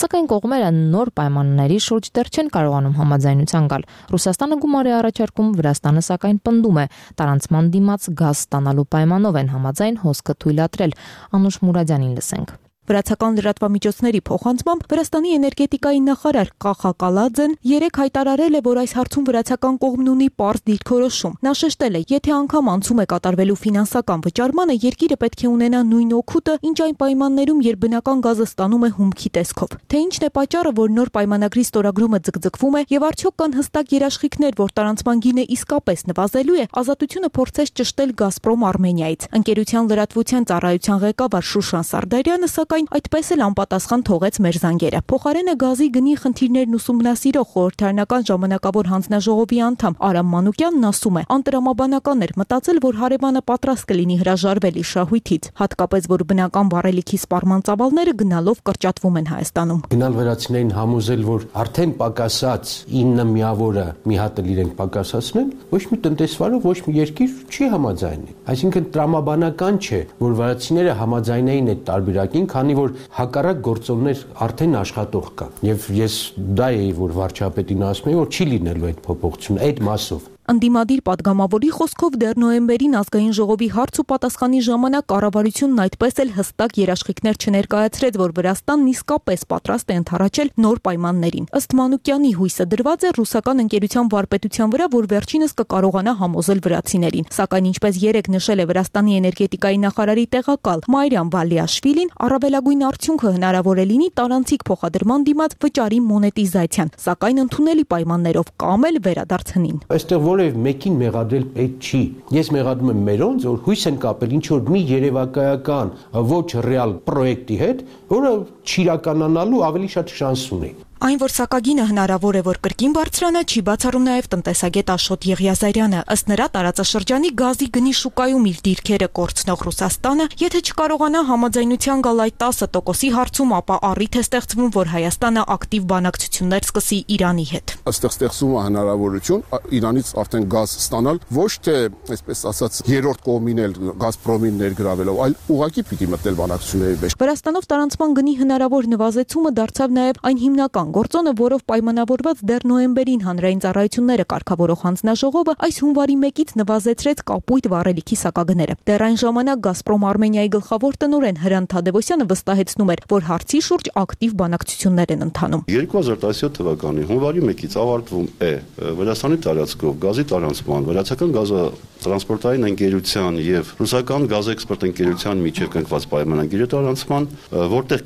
սակայն կողմերը նոր պայմանների շուրջ դեռ չեն կարողանում համաձայնության գալ։ Ռուսաստանը գումար է առաջարկում, Վրաստանը սակայն պնդում է, տարանցման դիմաց գազ ստանալու պայմանով են համաձայն հոսքը թույլատրել։ Անուշ Մուրադյանին լսենք։ Վրացական լրատվամիջոցների փոխանցմամբ Վրաստանի էներգետիկայի նախարար Կախա Կալաձեն երեկ հայտարարել է, որ այս հարցում վրացական կողմն ունի պարզ դիրքորոշում։ Նա շեշտել է, եթե անգամ անցում է կատարվելու ֆինանսական վճարմանը, երկիրը պետք է ունենա նույն օգուտը, ինչ այն պայմաններում, երբ բնական գազը ստանում է հումքի տեսքով։ Թե ինչն է պատճառը, որ նոր պայմանագրի ստորագրումը ձգձգվում է եւ արդյոք կան հստակ երաշխիքներ, որ տարանցման գինը իսկապես նվազելու է, Ազատությունը փորձեց ճշտել «Գազպրոմ» Արմենիայից։ Ընկերության լրատվության ծառայության ղեկավար Շուշան Սարդարյանը սակայն այդպես էլ անպատասխան թողեց մեր զանգերը։ Փոխարենը գազի գնի խնդիրներն ուսումնասիրող խորհրդարանական ժամանակավոր հանձնաժողովի անդամ Արամ Մանուկյանն ասում է, անտրամաբանական էր մտածել, որ հարևանը պատրաստ կլինի հրաժարվել իր շահույթից, հատկապես որ բնական վառելիքի սպառման ծավալները գնալով կրճատվում են Հայաստանում։ Գնալ վերացնեին համոզել, որ արդեն պակասած 9 միավորը մի հատ էլ իրենք պակասացնեն, ոչ մի տնտեսվարող, ոչ մի երկիր չի համաձայնի։ Այսինքն տրամաբանական չէ, որ վրացիները համաձայնային այդ տարբերակին, քանի որ հակառակ գործոններ արդեն աշխատող կան։ Եվ ես դա էի, որ վարչապետին ասում եմ, որ չի լինելու այդ փոփոխությունը այդ մասով։ Անդիմադիր падգամավորի խոսքով դեռ նոյեմբերին ազգային ժողովի հարց ու պատասխանի ժամանակ կառավարությունն այդպես էլ հստակ երաշխիքներ չներկայացրեց, որ Վրաստանն իսկապես պատրաստ է ընդառաջել նոր պայմաններին։ Ըստ Մանուկյանի հույսը դրված է ռուսական ընկերության վարպետության վրա, որ վերջինս կկարողանա համոզել վրացիներին։ Սակայն ինչպես երեք նշել է Վրաստանի էներգետիկայի նախարարի տեղակալ Մայրամ Վալիաշվիլին, առավելագույն արդյունքը հնարավոր է լինի տարանցիկ փոխադրման դիմաց վճարի մոնետիզացիան, սակայն ընդունելի պայմաններով կամ էլ վերադարձնին։ Այստեղ որևէ մեկին մեղադրել պետք չի։ Ես մեղադրում եմ մերոնց, որ հույս են կապել ինչ որ մի երևակայական ոչ ռեալ պրոյեկտի հետ, որը չիրականանալու ավելի շատ շանս ունի։ Այն, որ սակագինը հնարավոր է, որ կրկին բարձրանա, չի բացառում նաև տնտեսագետ Աշոտ Եղիազարյանը։ Ըստ նրա, տարածաշրջանի գազի գնի շուկայում իր դիրքերը կորցնող Ռուսաստանը, եթե չկարողանա համաձայնության գալ այդ 10%-ի հարցում, ապա առիթ է ստեղծվում, որ Հայաստանը ակտիվ բանակցություններ սկսի Իրանի հետ։ Այստեղ ստեղծվում է հնարավորություն Իրանից արդեն գազ ստանալ, ոչ թե, այսպես ասած, երրորդ կողմին էլ Գազպրոմին ներգրավելով, այլ ուղղակի պիտի մտնել բանակցությունների մեջ։ Վրաստանով տարանցման գնի հնարավոր նվազեցումը դարձավ նաև այն հիմնական գործոնը, որով պայմանավորված դեռ նոյեմբերին հանրային ծառայությունները կարգավորող հանձնաժողովը այս հունվարի 1-ից նվազեցրեց կապույտ վառելիքի սակագները։ Դեռ այն ժամանակ Գազպրոմ Արմենիայի գլխավոր տնօրեն Հրանտ Թադևոսյանը վստահեցնում էր, որ հարցի շուրջ ակտիվ բանակցություններ են ընթանում։ 2017 թվականի հունվարի 1-ից ավարտվում է Վրաստանի տարածքով գազի տարանցման, վրացական գազատրանսպորտային ընկերության եւ ռուսական գազէքսպորտ ընկերության միջև կնքված պայմանագիրը տարանցման, որտեղ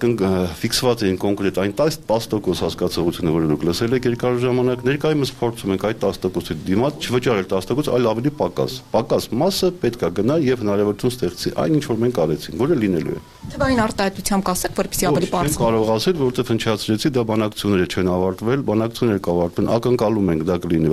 ֆիքսված են կոնկրետ այն 10% հասկացողությունը, որը դուք լսել եք երկար ժամանակ, ներկայումս փորձում ենք այդ 10%-ի դիմաց չվճարել 10%, այլ ավելի պակաս մասը պետք է գնա եւ հնարավորություն ստեղծի այն, ինչ որ մենք արեցինք, որը լինելու է։ Թվային արտահայտությամբ կասեք, որպեսզի ավելի բարձր։ Չեմ կարող ասել, որովհետեւ հնչեցրեցի, դա բանակցությունները չեն ավարտվել, բանակցությունները կավարտվեն, ակնկալում ենք դա կլինի,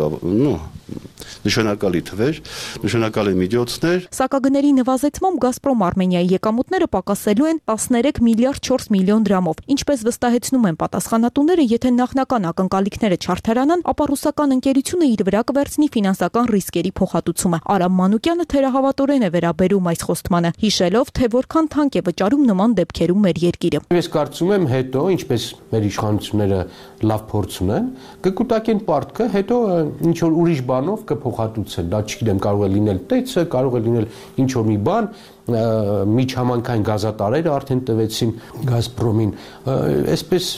նշանակալի թվեր, նշանակալի միջոցներ։ Սակագների նվազեցմամբ Գազպրոմ Արմենիայի եկամուտները պակասելու են 13 միլիարդ 4 միլիոն դրամով։ Ինչպես վստահեցնում են պատասխանատուները, եթե նախնական ակնկալիքները չարդարանան, ապա ռուսական ընկերությունը իր վրա կվերցնի ֆինանսական ռիսկերի փոխհատուցումը։ Արամ Մանուկյանը թերահավատորեն է վերաբերում այս խոստմանը, հիշելով, թե որքան թանկ է վճարում նման դեպքերում մեր երկիրը։ Ես կարծում եմ, հետո, ինչպես մեր իշխանությունները լավ փորձ ունեն, կկուտակեն պարտքը, հետո ինչ որ ուրիշ բանով կփոխհատուցեն։ Դա չգիտեմ, կարող է լինել տեքսը, կարող է լինել ինչ որ մի բան, միջհամանքային գազատարերը արդեն տվեցին Գազպրոմին, այսպես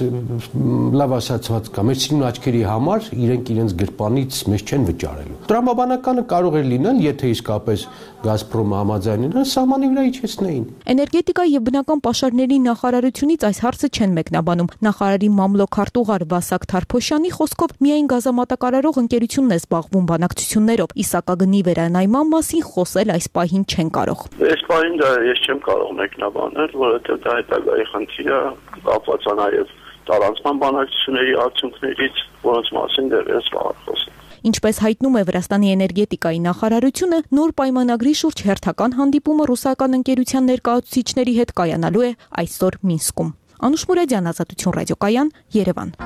լավ ասացված կա, մեր սիրուն աչքերի համար իրենք իրենց գրպանից մեզ չեն վճարելու։ Տրամաբանականը կարող է լինել, եթե իսկապես Գազպրոմը համաձայնեն, սահմանի վրա իջեցնեին։ Էներգետիկայի եւ բնական պաշարների նախարարությունից այս հարցը չեն մեկնաբանում։ Նախարարի մամլոք արտուղար Վասակ Թարփոշյանի խոսքով միայն գազամատակարարող ընկերությունն է զբաղվում բանակցություններով, իսակագնի վերանայման մասին խոսել այս պահին չեն կարող։ Դա ես չեմ կարող մեկնաբանել, որովհետև դա հետագայի խնդիր է, կապված է նաև տարանցման բանակցությունների արդյունքներից, որոնց մասին դեռևս վաղ խոսել։ Ինչպես հայտնում է Վրաստանի էներգետիկայի նախարարությունը, նոր պայմանագրի շուրջ հերթական հանդիպումը ռուսական ընկերության ներկայացուցիչների հետ կայանալու է այսօր Մինսկում։ Անուշ Մուրադյան, Ազատություն ռադիոկայան, Երևան։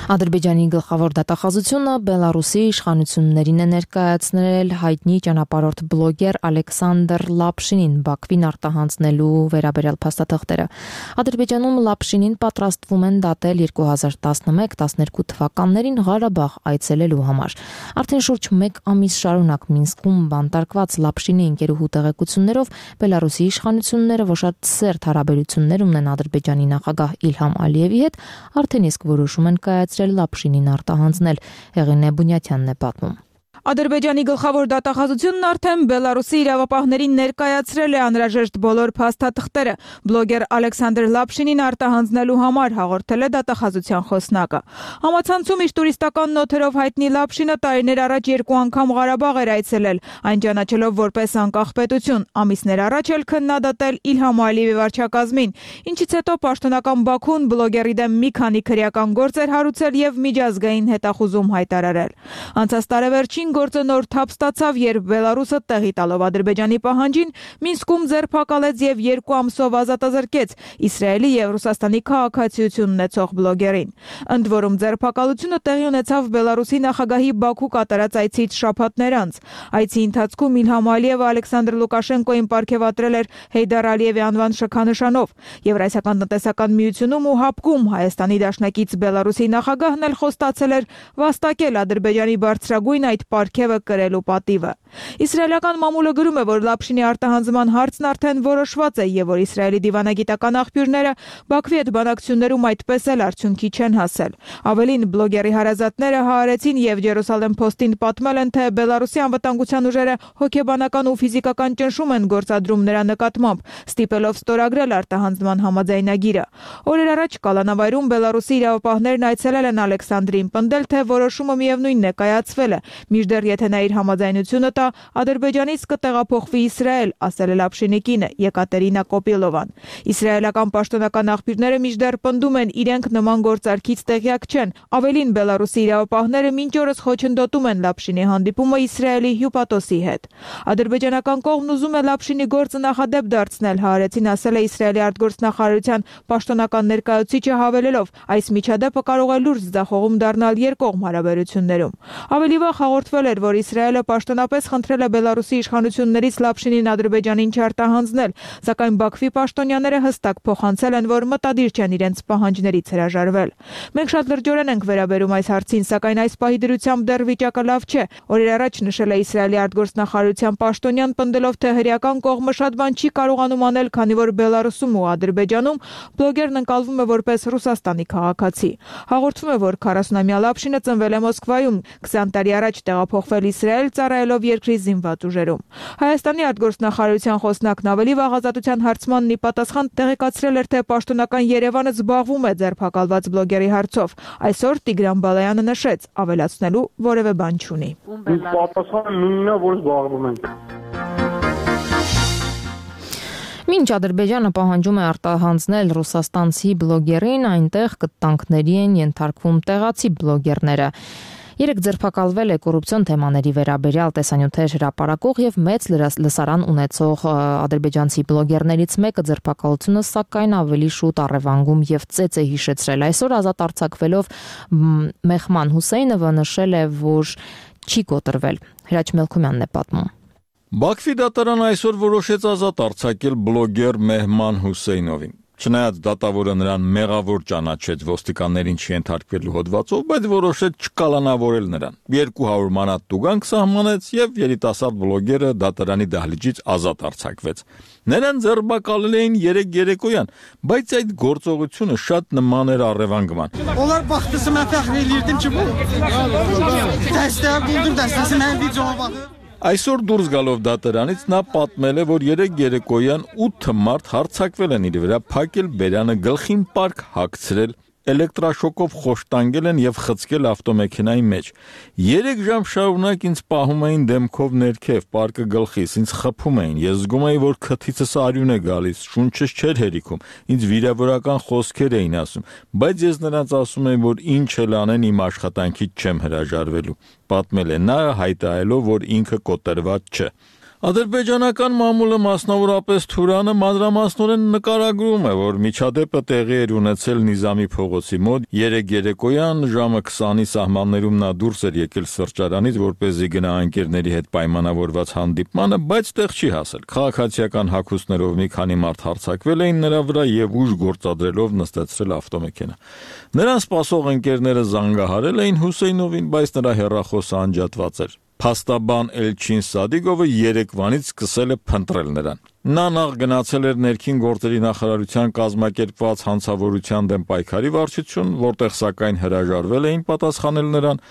Ադրբեջանի գլխավոր դատախազությունը Բելարուսի իշխանություններին է ներկայացնել հայտնի ճանապարհորդ բլոգեր Ալեքսանդր Լապշինին Բաքվին արտահանձնելու վերաբերյալ փաստաթղթերը։ Ադրբեջանում Լապշինին պատրաստվում են դատել 2011-12 թվականներին Ղարաբաղ այցելելու համար։ Արդեն շուրջ 1 ամիս շարունակ Մինսկում բանտարկված Լապշինի ընկերուհու տեղեկություններով Բելարուսի իշխանությունները ոչ շատ սերտ հարաբերություններ ունեն Ադրբեջանի նախագահ Իլհամ Ալիևի հետ, արդեն իսկ որոշում են կայացրել Լապշինին արտահանձնել։ Հեղինե Բունյաթյանն է պատմում։ Ադրբեջանի գլխավոր դատախազությունն արդեն Բելարուսի իրավապահներին ներկայացրել է անհրաժեշտ բոլոր փաստաթղթերը։ Բլոգեր Ալեքսանդր Լապշինին արտահանձնելու համար հաղորդել է դատախազության խոսնակը։ Համացանցում իր տուրիստական նոթերով հայտնի Լապշինը տարիներ առաջ 2 անգամ Ղարաբաղ էր այցելել, այն ճանաչելով որպես անկախ պետություն։ Ամիսներ առաջ էլ քննադատել Իլհամ Ալիևի վարչակազմին, ինչից հետո պաշտոնական Բաքուն բլոգերի դեմ մի քանի քրեական գործ էր հարուցել եւ միջազգային հետախուզում հայտարարել։ Անցած տարեվերջին գործը նոր թափ ստացավ, երբ Բելարուսը տեղի տալով Ադրբեջանի պահանջին Մինսկում ձերբակալեց եւ 2 ամսով ազատազրկեց Իսրայելի եւ Ռուսաստանի քաղաքացիություն ունեցող բլոգերին։ Ընդ որում ձերբակալությունը տեղի ունեցավ Բելարուսի նախագահի Բաքու կատարած այցից շաբաթներ անց։ Այցի ընթացքում Իլհամ Ալիևը Ալեքսանդր Լուկաշենկոին պարգևատրել էր Հեյդար Ալիևի անվան շքանշանով։ Եվրասիական տնտեսական միությունում ու ՀԱՊԿ-ում Հայաստանի դաշնակից Բելարուսի նախագահն էլ խոստացել էր վաստակել Ադրբեջանի բարձրագույն այդ պարգևը կրելու պատիվը։ Իսրայելական մամուլը գրում է, որ Լապշինի արտահանձնման հարցն արդեն որոշված է եւ որ Իսրայելի դիվանագիտական աղբյուրները Բաքվի հետ բանակցություններում այդպես էլ արդյունքի չեն հասել։ Ավելին, բլոգերի հարազատները հայեցին եւ Ջերուսալեմ Փոստին պատմել են, թե Բելարուսի անվտանգության ուժերը հոգեբանական ու ֆիզիկական ճնշում են գործադրում նրա նկատմամբ, ստիպելով ստորագրել արտահանձնման համաձայնագիրը։ Օրեր առաջ Կալանավայրում Բելարուսի իրավապահներն այցելել են Ալեքսանդրին, պնդել, թե որոշումը միևնույնն է կայացվել է, մինչդեռ Մինչդեռ եթե նա իր համաձայնությունը տա, Ադրբեջանից կտեղափոխվի Իսրայել, ասել է Լապշինի կինը Եկատերինա Կոպիլովան։ Իսրայելական պաշտոնական աղբյուրները մինչդեռ պնդում են, իրենք նման գործարքից տեղյակ չեն։ Ավելին, Բելարուսի իրավապահները մինչ օրս խոչընդոտում են Լապշինի հանդիպումը Իսրայելի հյուպատոսի հետ։ Ադրբեջանական կողմն ուզում է Լապշինի գործը նախադեպ դարձնել, Հարեցին ասել է Իսրայելի արտգործնախարարության պաշտոնական ներկայացուցիչը հավելելով, այս միջադեպը կարող է լուրջ ձախողում դառնալ երկկողմ հարաբերություններում։ Ավելի վաղ հաղորդվել էր, որ Իսրայելը պաշտոնապես խնդրել է Բելարուսի իշխանություններից Լապշինին Ադրբեջանին չարտահանձնել, սակայն Բաքվի պաշտոնյաները հստակ փոխանցել են, որ մտադիր չեն իրենց պահանջներից հրաժարվել։ Մենք շատ լրջորեն ենք վերաբերում այս հարցին, սակայն այս պահի դրությամբ դեռ վիճակը լավ չէ։ Օրեր առաջ նշել է Իսրայելի արտգործնախարարության պաշտոնյան, պնդելով, թե հրեական կողմը շատ բան չի կարողանում անել, քանի որ Բելարուսում ու Ադրբեջանում բլոգերն ընկալվում է որպես Ռուսաստանի քաղաքացի։ Հաղորդվում է, որ 40-ամյա Լապշինը ծնվել է Մոսկվայում, 20 տարի առաջ տեղափոխվել Իսրայել, ծառայելով երկրի զինված ուժերում։ Հայաստանի արտգործնախարարության խոսնակն ավելի վաղ Ազատության հարցմանն ի պատասխան տեղեկացրել էր, թե պաշտոնական Երևանը զբաղվում է ձերբակալված բլոգերի հարցով։ Այսօր Տիգրան Բալայանը նշեց, ավելացնելու որևէ բան չունի։ Պատասխանը նույնն է, որ զբաղվում ենք։ Մինչ Ադրբեջանը պահանջում է արտահանձնել ռուսաստանցի բլոգերին, այնտեղ կտանքների են ենթարկվում տեղացի բլոգերները։ Երեք ձերբակալվել է կոռուպցիոն թեմաների վերաբերյալ տեսանյութեր հրապարակող եւ մեծ լսարան ունեցող ադրբեջանցի բլոգերներից մեկը ձերբակալությունը սակայն ավելի շուտ առևանգում եւ ծեծ է հիշեցրել։ Այսօր ազատ արձակվելով Մեհման Հուսեյնովը նշել է, որ չի կոտրվել։ Հրաչ Մելքումյանն է պատմում։ Բաքվի դատարանը այսօր որոշեց ազատ արձակել բլոգեր Մեհման Հուսեյնովին։ Չնայած դատավորը նրան մեղավոր ճանաչեց ոստիկաններին չենթարկվելու հոդվածով, բայց որոշեց չկալանավորել նրան։ 200 մանատ տուգանք սահմանեց եւ երիտասարդ բլոգերը դատարանի դահլիճից ազատ արձակվեց։ Նրան ձերբակալել էին 3 երեկոյան, բայց այդ գործողությունը շատ նման էր առևանգման։ Onlar baxdısı mən fəxr elirdim ki, bu dəstəyə buldum, dəstəsi mənim videoma baxır։ Այսօր դուրս գալով դատարանից նա պատմել է, որ 3 երեկոյան 8 մարդ հարձակվել են իր վրա, փակել բերանը, գլխին պարկ հագցրել, էլեկտրաշոկով խոշտանգել են եւ խցկել ավտոմեքենայի մեջ։ 3 ժամ շարունակ ինձ պահում էին դեմքով ներքև, պարկը գլխիս, ինձ խփում էին։ Ես զգում էի, որ քթիցս արյուն է գալիս, շունչս չէր հերիքում։ Ինձ վիրավորական խոսքեր էին ասում, բայց ես նրանց ասում եմ, որ ինչ էլ անեն իմ աշխատանքից չեմ հրաժարվելու։ Պատմել է նա, հայտարարելով, որ ինքը կոտրված չէ։ Ադրբեջանական մամուլը, մասնավորապես Թուրանը, մանրամասնորեն նկարագրում է, որ միջադեպը տեղի էր ունեցել Նիզամի փողոցի մոտ 3 երեկոյան ժամը 20-ի սահմաններում նա դուրս էր եկել սրճարանից, որպեսզի գնա ընկերների հետ պայմանավորված հանդիպմանը, բայց տեղ չի հասել։ Քաղաքացիական հագուստներով մի քանի մարդ հարձակվել էին նրա վրա եւ ուժ գործադրելով նստեցրել ավտոմեքենա։ Նրան սպասող ընկերները զանգահարել էին Հուսեյնովին, բայց նրա հեռախոսը անջատված էր։ Փաստաբան Էլչին Սադիգովը երեկվանից սկսել է փնտրել նրան։ Նա նախ գնացել էր ներքին գործերի նախարարության կազմակերպված հանցավորության դեմ պայքարի վարչություն, որտեղ սակայն հրաժարվել էին պատասխանել նրան։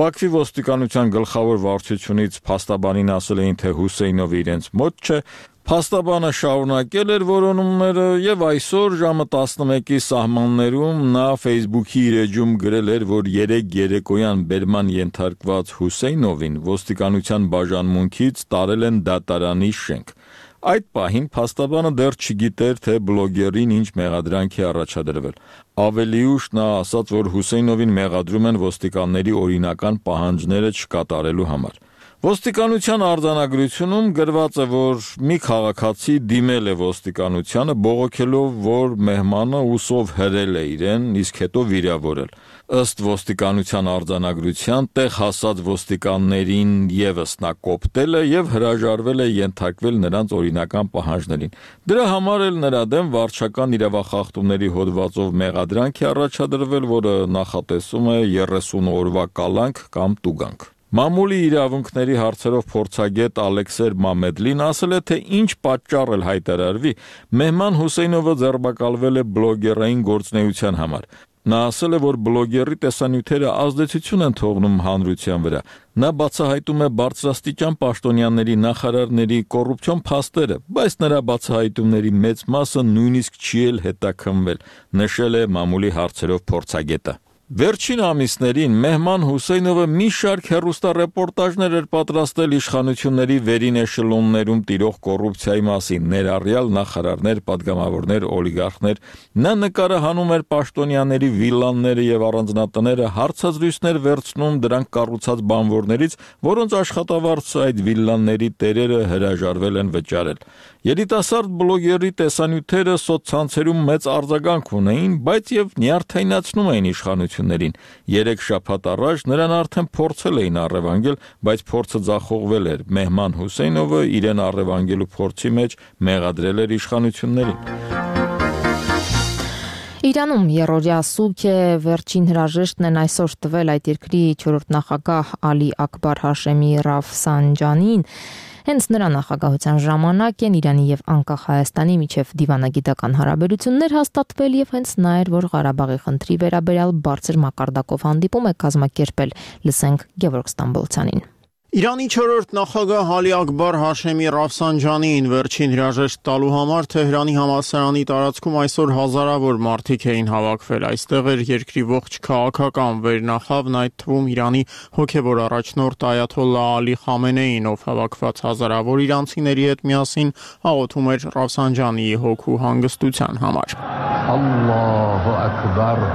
Բաքվի ոստիկանության գլխավոր վարչությունից փաստաբանին ասել էին, թե Հուսեյնովը իրենց մոտ չէ։ Փաստաբանը շարունակել էր որոնումները եւ այսօր ժամը 11-ի սահմաններում նա Facebook-ի իր էջում գրել էր, որ 3 երեկոյան բերման ենթարկված Հուսեյնովին ոստիկանության բաժանմունքից տարել են դատարանի շենք։ Այդ պահին փաստաբանը դեռ չգիտեր, թե բլոգերին ինչ մեղադրանք է առաջադրվել։ Ավելի ուշ նա ասաց, որ Հուսեյնովին մեղադրում են ոստիկանների օրինական պահանջները չկատարելու համար։ Ոստիկանության արձանագրությունում գրված է, որ մի քաղաքացի դիմել է ոստիկանությանը, բողոքելով, որ Մեհմանը ուսով հրել է իրեն, իսկ հետո վիրավորել։ Ըստ ոստիկանության արձանագրության տեղ հասած ոստիկաններին եւս նա կոպտել է եւ հրաժարվել է ենթարկվել նրանց օրինական պահանջներին։ Դրա համար էլ նրա դեմ վարչական իրավախախտումների հոդվածով մեղադրանք է առաջադրվել, որը նախատեսում է 30 օրվա կալանք կամ տուգանք։ Մամուլի իրավունքների հարցերով փորձագետ Ալեքսեր Մամեդլին ասել է, թե ինչ պատճառ էլ հայտարարվի, Մեհման Հուսեյնովը ձերբակալվել է բլոգերային գործունեության համար։ Նա ասել է, որ բլոգերի տեսանյութերը ազդեցություն են թողնում հանրության վրա։ Նա բացահայտում է բարձրաստիճան պաշտոնյաների, նախարարների կոռուպցիոն փաստերը, բայց նրա բացահայտումների մեծ մասը նույնիսկ չի էլ հետաքննվել, նշել է մամուլի հարցերով փորձագետը։ Վերջին ամիսներին Մեհման Հուսեյնովը մի շարք հեռուստառեպորտաժներ էր պատրաստել իշխանությունների վերին էշելոններում տիրող կոռուպցիայի մասին, ներառյալ նախարարներ, падգամավորներ, օլիգարխներ։ Նա նկարը հանում էր պաշտոնյաների վիլլաները եւ առանձնատները, հարցազրույցներ վերցնում դրանք կառուցած բանվորներից, որոնց աշխատավարձը այդ վիլլաների տերերը հրաժարվել են վճարել։ Երիտասարդ բլոգերի տեսանյութերը սոցցանցերում մեծ արձագանք ունեին, բայց եւ նյարդայնացնում էին իշխանություններին։ 3 շաբաթ առաջ նրան արդեն փորձել էին առևանգել, բայց փորձը ձախողվել էր։ Մեհման Հուսեյնովը իրեն առևանգելու փորձի մեջ մեղադրել էր իշխանություններին։ Իրանում երրորդյա սուգ է, վերջին հրաժեշտն են այսօր տվել այդ երկրի 4-րդ նախագահ Ալի Ակբար Հաշեմի Ռաֆսանջանին։ Հենց նրա նախագահության ժամանակ են Իրանի եւ անկախ Հայաստանի միջև դիվանագիտական հարաբերություններ հաստատվել եւ հենց նա էր, որ Ղարաբաղի խնդրի վերաբերյալ բարձր մակարդակով հանդիպում է կազմակերպել։ Լսենք Գևորգ Ստամբոլցյանին։ Իրանի 4-րդ նախագահ Ալի Ակբար Հաշեմի Ռաֆսանջանիին վերջին հրաժեշտ տալու համար Թեհրանի համալսարանի տարածքում այսօր հազարավոր մարդիկ էին հավաքվել։ Այստեղ էր երկրի ողջ քաղաքական վերնախավն, այդ թվում Իրանի հոգևոր առաջնորդ Այաթոլլահ Ալի Խամենեին, ով հավաքված հազարավոր իրանցիների հետ միասին աղոթում էր Ռաֆսանջանիի հոգու հանգստության համար։ Ալլահու ակբար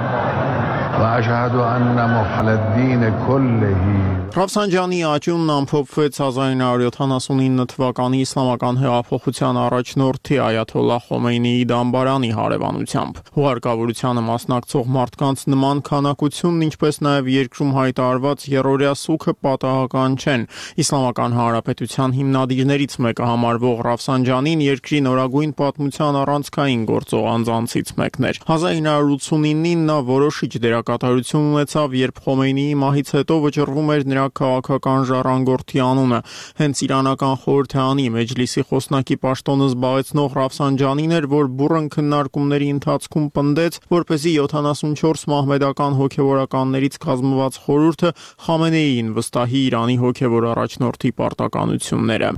وأشهد أن محل الدين كله Ռաֆսանջանիի աճյունն ամփոփվեց 1979 թվականի իսլամական հեղափոխության առաջնորդի Այաթոլլահ Խոմեյնիի դամբարանի հարևանությամբ։ Հուղարկավորությանը մասնակցող մարդկանց նման քանակությունն, ինչպես նաև երկրում հայտարարված երրորդյա սուգը պատահական չեն։ Իսլամական հանրապետության հիմնադիրներից մեկը համարվող Ռաֆսանջանին երկրի նորագույն պատմության առանցքային գործող անձանցից մեկն էր։ 1989-ին նա որոշիչ դերակատարություն ունեցավ, երբ Խոմեյնիի մահից հետո վճռվում էր նրա քաղաքական ժառանգորդի անունը։ Հենց իրանական խորհրդարանի մեջլիսի խոսնակի պաշտոնը զբաղեցնող Ռաֆսանջանին էր, որ բուռն քննարկումների ընթացքում պնդեց, որպեսզի 74 մահմեդական հոգևորականներից կազմված խորհուրդը Խամենեիին վստահի Իրանի հոգևոր առաջնորդի պարտականությունները։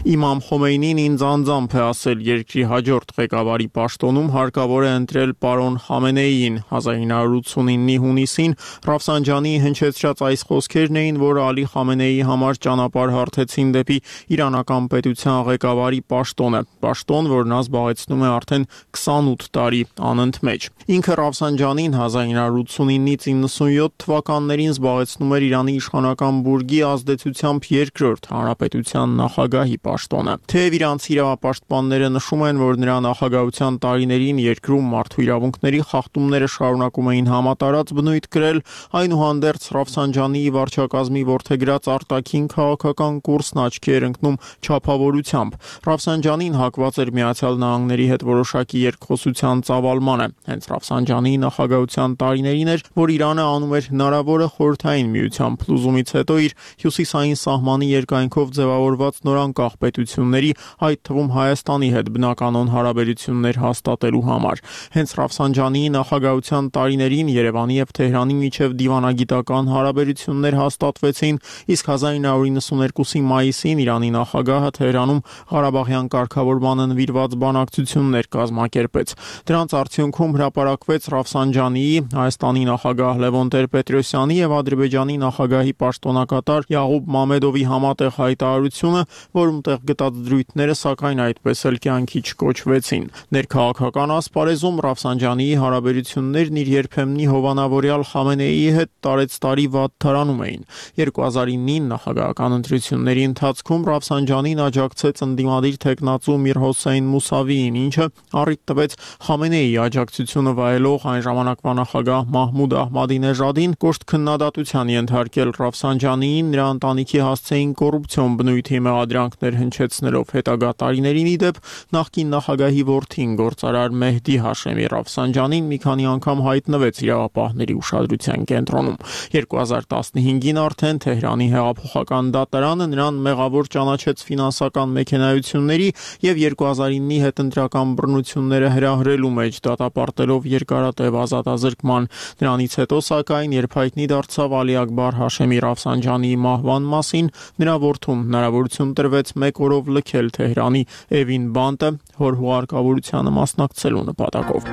Իմամ Խոմեյնին ինձ անձամբ է ասել, երկրի հաջորդ ղեկավարի պաշտոնում հարկավոր է ընտրել պարոն Խամենեիին։ 1989-ի հունիսին Ռաֆսանջանիի հնչեցրած այս խոսքերն էին, որ Ալի Խամենեիի համար ճանապարհ հարթեցին դեպի իրանական պետության ղեկավարի պաշտոնը, պաշտոն, որ նա զբաղեցնում է արդեն 28 տարի անընդմեջ։ Ինքը Ռաֆսանջանին 1989-ից 97 թվականներին զբաղեցնում էր Իրանի իշխանական բուրգի ազդեցությամբ երկրորդ հանրապետության նախագահի պաշտոնը։ Թեև իրանցի իրավապաշտպանները նշում են, որ նրա նախագահության տարիներին երկրում մարդու իրավունքների խախտումները շարունակում էին համատարած բնույթ կրել, այնուհանդերձ Ռաֆսանջանիի վարչակազմի որդեգրած արտաքին քաղաքական կուրսն աչքի էր ընկնում չափավորությամբ։ Ռաֆսանջանին հակված էր Միացյալ Նահանգների հետ որոշակի երկխոսության ծավալմանը։ Հենց Ռաֆսանջանիի նախագահության տարիներին էր, որ Իրանը անում էր հնարավորը խորհրդային միության փլուզումից հետո իր հյուսիսային սահմանի երկայնքով ձևավորված նորանկախ պետությունների, այդ թվում Հայաստանի հետ բնականոն հարաբերություններ հաստատելու համար։ Հենց Ռաֆսանջանիի նախագահության տարիներին Երևանի եւ Թեհրանի միջև դիվանագիտական հարաբերություններ հաստատվեցին, իսկ 1992-ի մայիսին Իրանի նախագահը Թեհրանում Ղարաբաղյան կարգավորմանը նվիրված բանակցություններ կազմակերպեց։ Դրանց արդյունքում հրապարակվեց Ռաֆսանջանիի, Հայաստանի նախագահ Լևոն Տեր-Պետրոսյանի եւ Ադրբեջանի նախագահի պաշտոնակատար Յաղուբ Մամեդովի համատեղ հայտարարությունը, որում տեղ գտած դրույթները սակայն այդպես էլ կյանքի չկոչվեցին։ Ներքաղաքական ասպարեզում Ռաֆսանջանիի հարաբերություններն իր երբեմնի հովանավորյալ Խամենեիի հետ տարեցտարի վատթարանում էին։ 2009-ին նախագահական ընտրությունների ընթացքում Ռաֆսանջանին աջակցեց ընդդիմադիր թեկնածու Միր Հոսեյն Մուսավիին, ինչը առիթ տվեց Խամենեիի աջակցությունը վայելող այն ժամանակվա նախագահ Մահմուդ Ահմադինեժադին կոշտ քննադատության ենթարկել Ռաֆսանջանիին, նրա ընտանիքի հասցեին կոռուպցիոն բնույթի մեղադրանքներ հնչեցնելով հետագա տարիներին ի դեպ նախկին նախագահի որդին գործարար Մեհդի Հաշեմի Ռաֆսանջանին մի քանի անգամ հայտնվեց իրավապահների ուշադրության կենտրոնում։ 2015-ին արդեն Թեհրանի հեղափոխական դատարանը նրան մեղավոր ճանաչեց ֆինանսական մեքենայությունների եւ 2009-ի հետընտրական բռնությունները հրահրելու մեջ դատապարտելով երկարատև ազատազրկման։ Նրանից հետո սակայն, երբ հայտնի դարձավ Ալի Ակբար Հաշեմի Ռաֆսանջանիի մահվան մասին, նրա որդուն հնարավորություն տրվեց 1 օրով լքել Թեհրանի Էվին բանտը, հոր հուղարկավորությանը մասնակցելու նպատակով։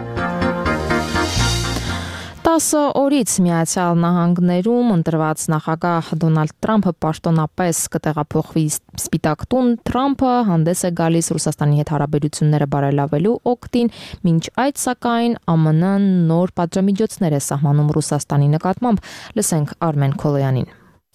10 օրից Միացյալ Նահանգներում ընտրված նախագահ Դոնալդ Թրամփը պաշտոնապես կտեղափոխվի Սպիտակ տուն, Թրամփը հանդես է գալիս Ռուսաստանի հետ հարաբերությունները բարելավելու օգտին, մինչ այդ սակայն ԱՄՆ-ն նոր պատժամիջոցներ է սահմանում Ռուսաստանի նկատմամբ։ Լսենք Արմեն Քոլոյանին։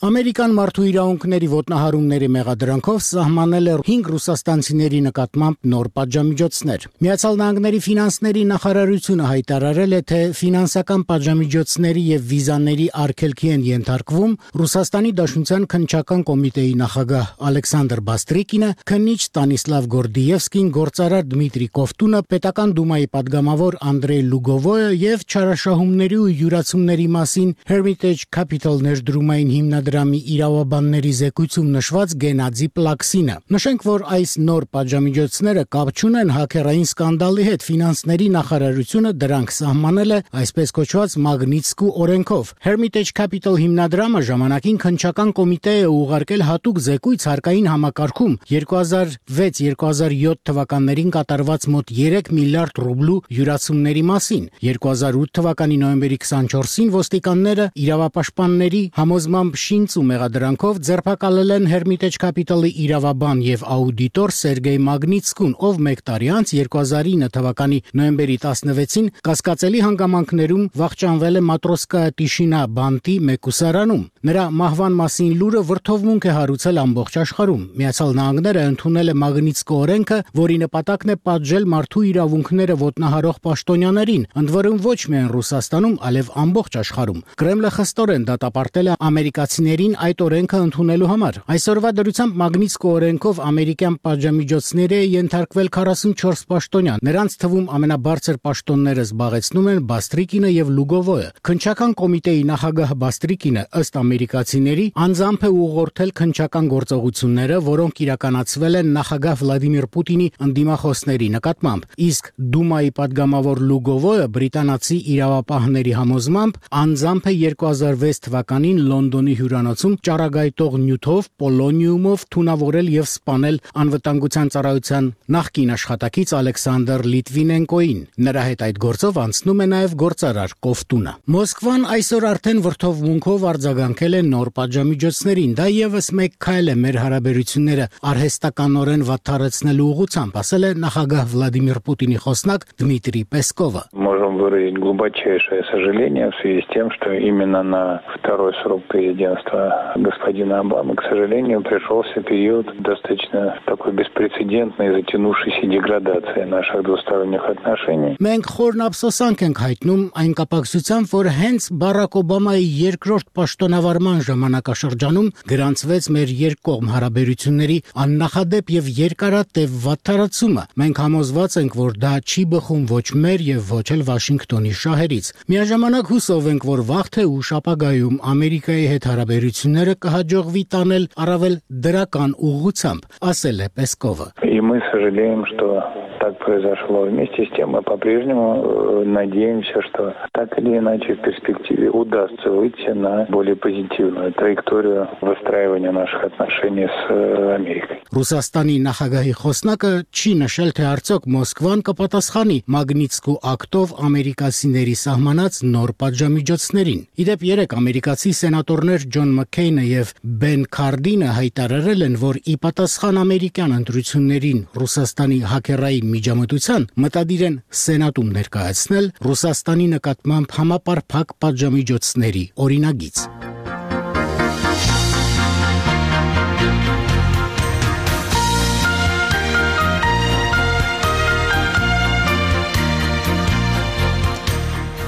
Ամերիկան մարդու իրավունքների ոտնահարումների մեղադրանքով սահմանել է 5 ռուսաստանցիների նկատմամբ նոր պատժամիջոցներ։ Միացյալ Նահանգների ֆինանսների նախարարությունը հայտարարել է, թե ֆինանսական պատժամիջոցների եւ վիզաների արգելքի են ենթարկվում Ռուսաստանի Դաշնության քննչական կոմիտեի նախագահ Ալեքսանդր Բաստրիկինը, քննիչ Ստանիսլավ Գորդիևսկին, գործարար Դմիտրի Կովտունը, պետական դումայի падգամավոր Անդրեյ Լուգովոյը եւ չարաշահումների ու յուրացումների մասին Hermitage Capital ներդրումային հիմնադրամի իրավաբանների զեկույցում նշված Գենադի Պլաքսինը։ Նշենք, որ այս նոր պատժամիջոցները կապ չունեն հաքերային սկանդալի հետ։ Ֆինանսների նախարարությունը դրանք սահմանել է այսպես կոչված Մագնիտսկու օրենքով։ Hermitage Capital հիմնադրամը ժամանակին քննչական կոմիտե է ուղարկել հատուկ զեկույց հարկային համակարգում 2006-2007 թվականներին կատարված մոտ 3 միլիարդ ռուբլու յուրացումների մասին։ 2008 թվականի նոյեմբերի 24-ին ոստիկանները իրավապաշտպանների համոզմամբ շինց ու մեղադրանքով ձերբակալել են Hermitage Capital-ի իրավաբան եւ աուդիտոր Սերգեյ Մագնիտսկուն, ով մեկ տարի անց 2009 թվականի նոյեմբերի 16-ին կասկածելի հանգամանքներում վախճանվել է Մատրոսկայա Տիշինա բանտի մեկուսարանում։ Նրա մահվան մասին լուրը վրդովմունք է հարուցել ամբողջ աշխարհում։ Միացյալ Նահանգները ընդունել է Մագնիտսկու օրենքը, որի նպատակն է պատժել մարդու իրավունքները ոտնահարող պաշտոնյաներին, ընդ որում ոչ միայն Ռուսաստանում, այլև ամբողջ աշխարհում։ Կրեմլը խստորեն դատապարտել է ամերիկացիներին այդ օրենքը ընդունելու համար։ Այսօրվա դրությամբ Մագնիտսկու օրենքով ամերիկյան պատժամիջոցների է ենթարկվել 44 պաշտոնյա։ Նրանց թվում ամենաբարձր պաշտոնները զբաղեցնում են Բաստրիկինը եւ Լուգովոյը։ Քննչական կոմիտեի նախագահ Բաստրիկինը ըստ ամերիկացիների անձամբ է ուղղորդել քննչական գործողությունները, որոնք իրականացվել են նախագահ Վլադիմիր Պուտինի ընդդիմախոսների նկատմամբ։ Իսկ Դումայի падգամավոր Լուգովոյը բրիտանացի իրավապահների համոզմամբ անձամբ է 2006 թվականին Լոնդոնի հյուրանոցում ճառագայթող նյութով պոլոնիումով թունավորել եւ սպանել անվտանգության ծառայության նախկին աշխատակից Ալեքսանդր Լիտվինենկոին։ Նրա հետ այդ գործով անցնում է նաեւ գործարար Կովտունը։ Մոսկվան այսօր արդեն վրդովմունքով արձագանքել է նոր պատժամիջոցներին։ Դա եւս մեկ քայլ է մեր հարաբերությունները արհեստականորեն վատթարեցնելու ուղղությամբ, ասել է նախագահ Վլադիմիր Պուտինի խոսնակ Դմիտրի Պեսկովը։ Можем выразить глубочайшее сожаление в связи с тем, что именно на второй срок президентства господина Обамы, к сожалению, пришелся период достаточно такой беспрецедентной, затянувшейся деградации наших двусторонних отношений. Մենք խորն ափսոսանք ենք հայտնում այն կապակցությամբ, որ հենց Բարակ Օբամայի երկրորդ պաշտոնավարման ժամանակաշրջանում գրանցվեց մեր երկկողմ հարաբերությունների աննախադեպ եւ երկարատև վատթարացումը։ Մենք համոզված ենք, որ դա չի բխում ոչ մեր եւ ոչ էլ Վաշինգտոնի շահերից։ Միաժամանակ հուսով ենք, որ վաղ թե ուշ ապագայում Ամերիկայի հետ հարաբերությունները կհաջողվի տանել առավել դրական ուղղությամբ, ասել է Պեսկովը։ И мы сожалеем, что так произошло. Вместе с тем мы по-прежнему надеемся, что так или иначе в перспективе удастся выйти на более позитивную траекторию выстраивания наших отношений с Америкой. Ռուսաստանի նախագահի խոսնակը չի նշել, թե արդյոք Մոսկվան կպատասխանի Մագնիտսկու ակտով ամերիկացիների սահմանած նոր պատժամիջոցներին։ Իդեպ երեք ամերիկացի սենատորներ Ջոն Մաքքեյնը եւ Բեն Քարդինը հայտարարել են, որ ի պատասխան ամերիկյան ընտրություններին Ռուսաստանի հակերային միջամտության մտադիր են սենատում ներկայացնել Ռուսաստանի նկատմամբ համապարփակ պատժամիջոցների օրինագիծ։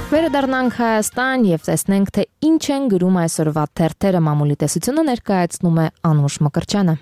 Վերադառնանք Հայաստան եւ տեսնենք, թե ինչ են գրում այսօրվա թերթերը։ Մամուլի տեսությունը ներկայացնում է Անուշ Մկրտչյանը։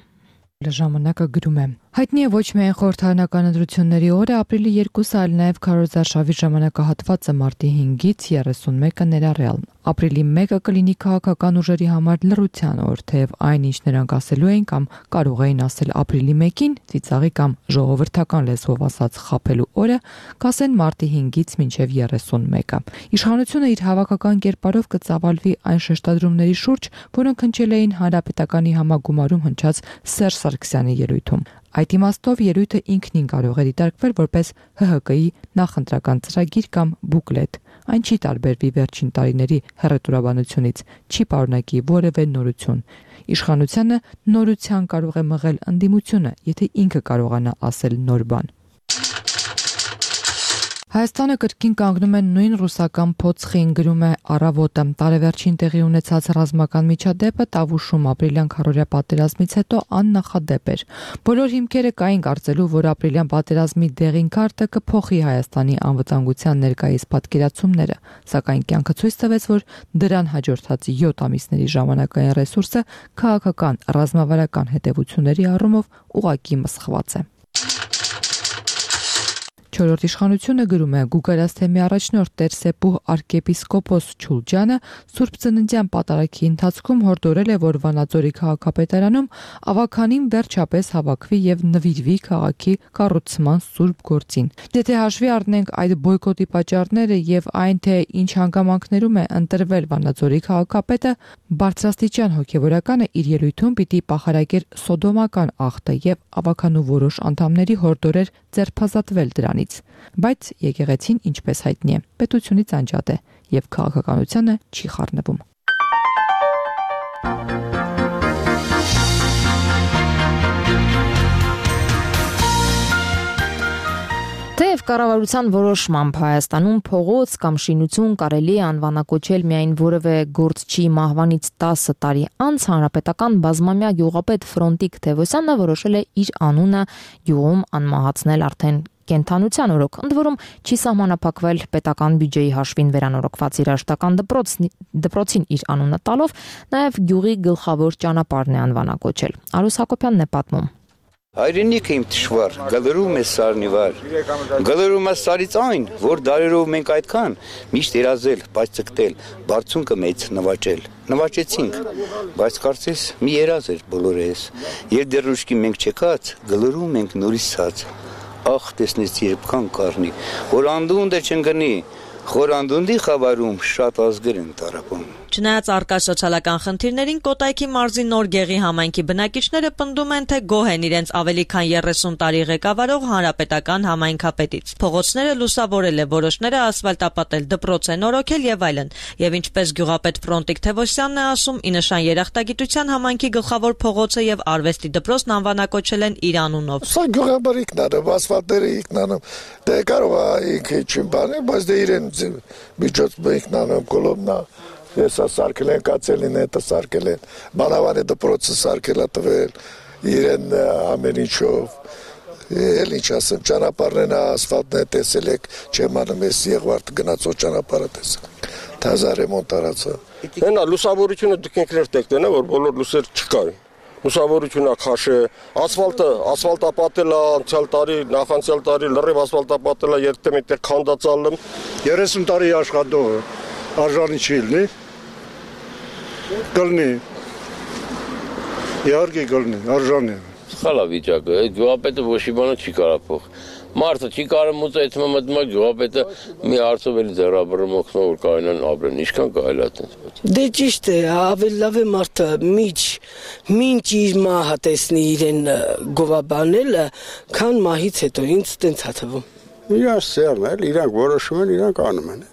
Ժամանակը գրում է. Հայտնի է ոչ միայն խորհրդարանական ընտրությունների օրը, ապրիլի 2-ը, այլ նաև քարոզարշավի ժամանակահատվածը մարտի 5-ից 31-ը ներառյալ։ Ապրիլի 1-ը կլինի քաղաքական ուժերի համար լռության օր, թեև այն, ինչ նրանք ասելու էին կամ կարող էին ասել ապրիլի 1-ին, ծիծաղի կամ ժողովրդական լեզվով ասած խաբելու օրը, կասեն մարտի 5-ից մինչև 31-ը։ Իշխանությունը իր հավաքական կերպարով կծավալվի այն շեշտադրումների շուրջ, որոնք հնչել էին հանրապետականի համագումարում հնչած Սերժ Սարգսյանի ելույթում։ Այդ իմաստով ելույթը ինքնին կարող է դիտարկվել որպես ՀՀԿ-ի նախընտրական ծրագիր կամ բուկլետ։ այն չի տարբերվի վերջին տարիների հռետորաբանությունից, չի պարունակի որևէ նորություն։ Իշխանությանը նորության կարող է մղել ընդդիմությունը, եթե ինքը կարողանա ասել նոր բան։ Հայաստանը կրկին կանգնում է նույն ռուսական փոცხին, գրում է Առավոտը։ Տարեվերջին տեղի ունեցած ռազմական միջադեպը Տավուշում ապրիլյան քառորյա պատերազմից հետո աննախադեպ էր։ Բոլոր հիմքերը կային կարծելու, որ ապրիլյան պատերազմի դեղին քարտը կփոխի Հայաստանի անվտանգության ներկայիս պատկերացումները, սակայն կյանքը ցույց տվեց, որ դրան հաջորդած 7 ամիսների ժամանակային ռեսուրսը քաղաքական ռազմավարական հետևությունների առումով ուղղակի մսխված է։ Չորրորդ իշխանությունը գրում է Գուգարաց թեմի առաջնորդ Տեր-Սեպուհ arczepiskopos Չուլջյանը Սուրբ Ծննդյան պատարագի ընթացքում հորդորել է, որ Վանաձորի քաղաքապետարանում ավականին վերջապես հավաքվի եւ նվիրվի քաղաքի կառուցման սուրբ գործին։ Եթե հաշվի առնենք այդ բոյկոտի պատճառները եւ այն, թե ինչ հանգամանքներում է ընտրվել Վանաձորի քաղաքապետը, բարձրաստիճան հոգեվորականը իր ելույթում պիտի պահարակեր սոդոմական ախտը եւ ավականու որոշ անդամների հորդորեր ձերբազատվել դրանից։ Բայց եկեղեցին, ինչպես հայտնի է, պետությունից անջատ է եւ քաղաքականությանը չի խառնվում։ Թեև կառավարության որոշմամբ Հայաստանում փողոց կամ շինություն կարելի է անվանակոչել միայն որևէ գործչի մահվանից 10 տարի անց, հանրապետական բազմամյա գյուղապետ Ֆրոնտիկ Թևոսյանը որոշել է իր անունը գյուղում անմահացնել արդեն կենթանության օրոք, ընդ որում չի սահմանափակվել պետական բյուջեի հաշվին վերանորոգված երաժշտական դպրոցին իր անունը տալով, նաև գյուղի գլխավոր ճանապարհն է անվանակոչել։ Արուս Հակոբյանն է պատմում։ Հայրենիքը իմ թշվառ, գլրում է սարնիվար, գլրում է սարից այն, որ դարերով մենք այդքան միշտ երազել, բայց ցկտել, բարձունքը մեծ նվաճել, նվաճեցինք, բայց կարծես մի երազ էր բոլորես, երբ դեռ ուշքի մենք չեկած, գլրում ենք նորից ցած, ախ տեսնես երբքան կառնի, որ անդունդը չընկնի, խորանդունդի խավարում շատ ազգեր են տարապում։ Չնայած առկա սոցիալական խնդիրներին, Կոտայքի մարզի Նոր Գեղի համայնքի բնակիչները պնդում են, թե գոհ են իրենց ավելի քան 30 տարի ղեկավարող հանրապետական համայնքապետից։ Փողոցները լուսավորել է, որոշները ասֆալտապատել, դպրոց են նորոգել եւ այլն։ Եվ ինչպես գյուղապետ Ֆրոնտիկ Թևոսյանն է ասում, ի նշան երախտագիտության համայնքի գլխավոր փողոցը եւ արվեստի դպրոցն անվանակոչել են իր անունով։ Սա գյուղաբարիկն է, ասֆալտերը ինքնանում, դե կարող է ինքը ինչ բան է, բայց դե իրեն միջոց ինքնանում կոլոմնա Ես սարքել են կացելին, հետը սարքել են, բանավանի դպրոցը սարքել է տվել, իրեն ամեն ինչով, էլ ինչ ասեմ, ճանապարհն է, ասֆալտն է տեսել եք, չեմ անում ես Եղվարդ գնացող ճանապարհը տեսել, թազա ռեմոնտ արածը։ Հենա լուսավորությունը դուք ինքներ տեկտեն է, որ բոլոր լուսեր չկային, լուսավորությունը քաշ է, ասֆալտապատել է անցյալ տարի, նախանցյալ տարի լրիվ ասֆալտապատել է, երբեմն այդտեղ քանդածալ եմ։ 30 տարի աշխատող արժանի չի լինի։ Գլնի, իհարկե գլնի, արժանի է։ Սխալ է վիճակը, այդ գյուղապետը ոչ մի բանը չի կարող փոխ։ Մարդը չի կարող մուծել, այդ մտնում է գյուղապետը մի հարցով էլի ձեռաբռնում օգնող որ կարողանան ապրեն, ինչքան կարելի է այդպես։ Դե ճիշտ է, ավելի լավ է մարդը մինչ իր մահը տեսնի իրեն գովաբանելը, քան մահից հետո, ինձ տենց է թվում։ Իրանց սերն էլ, իրանք որոշում են, իրանք անում են։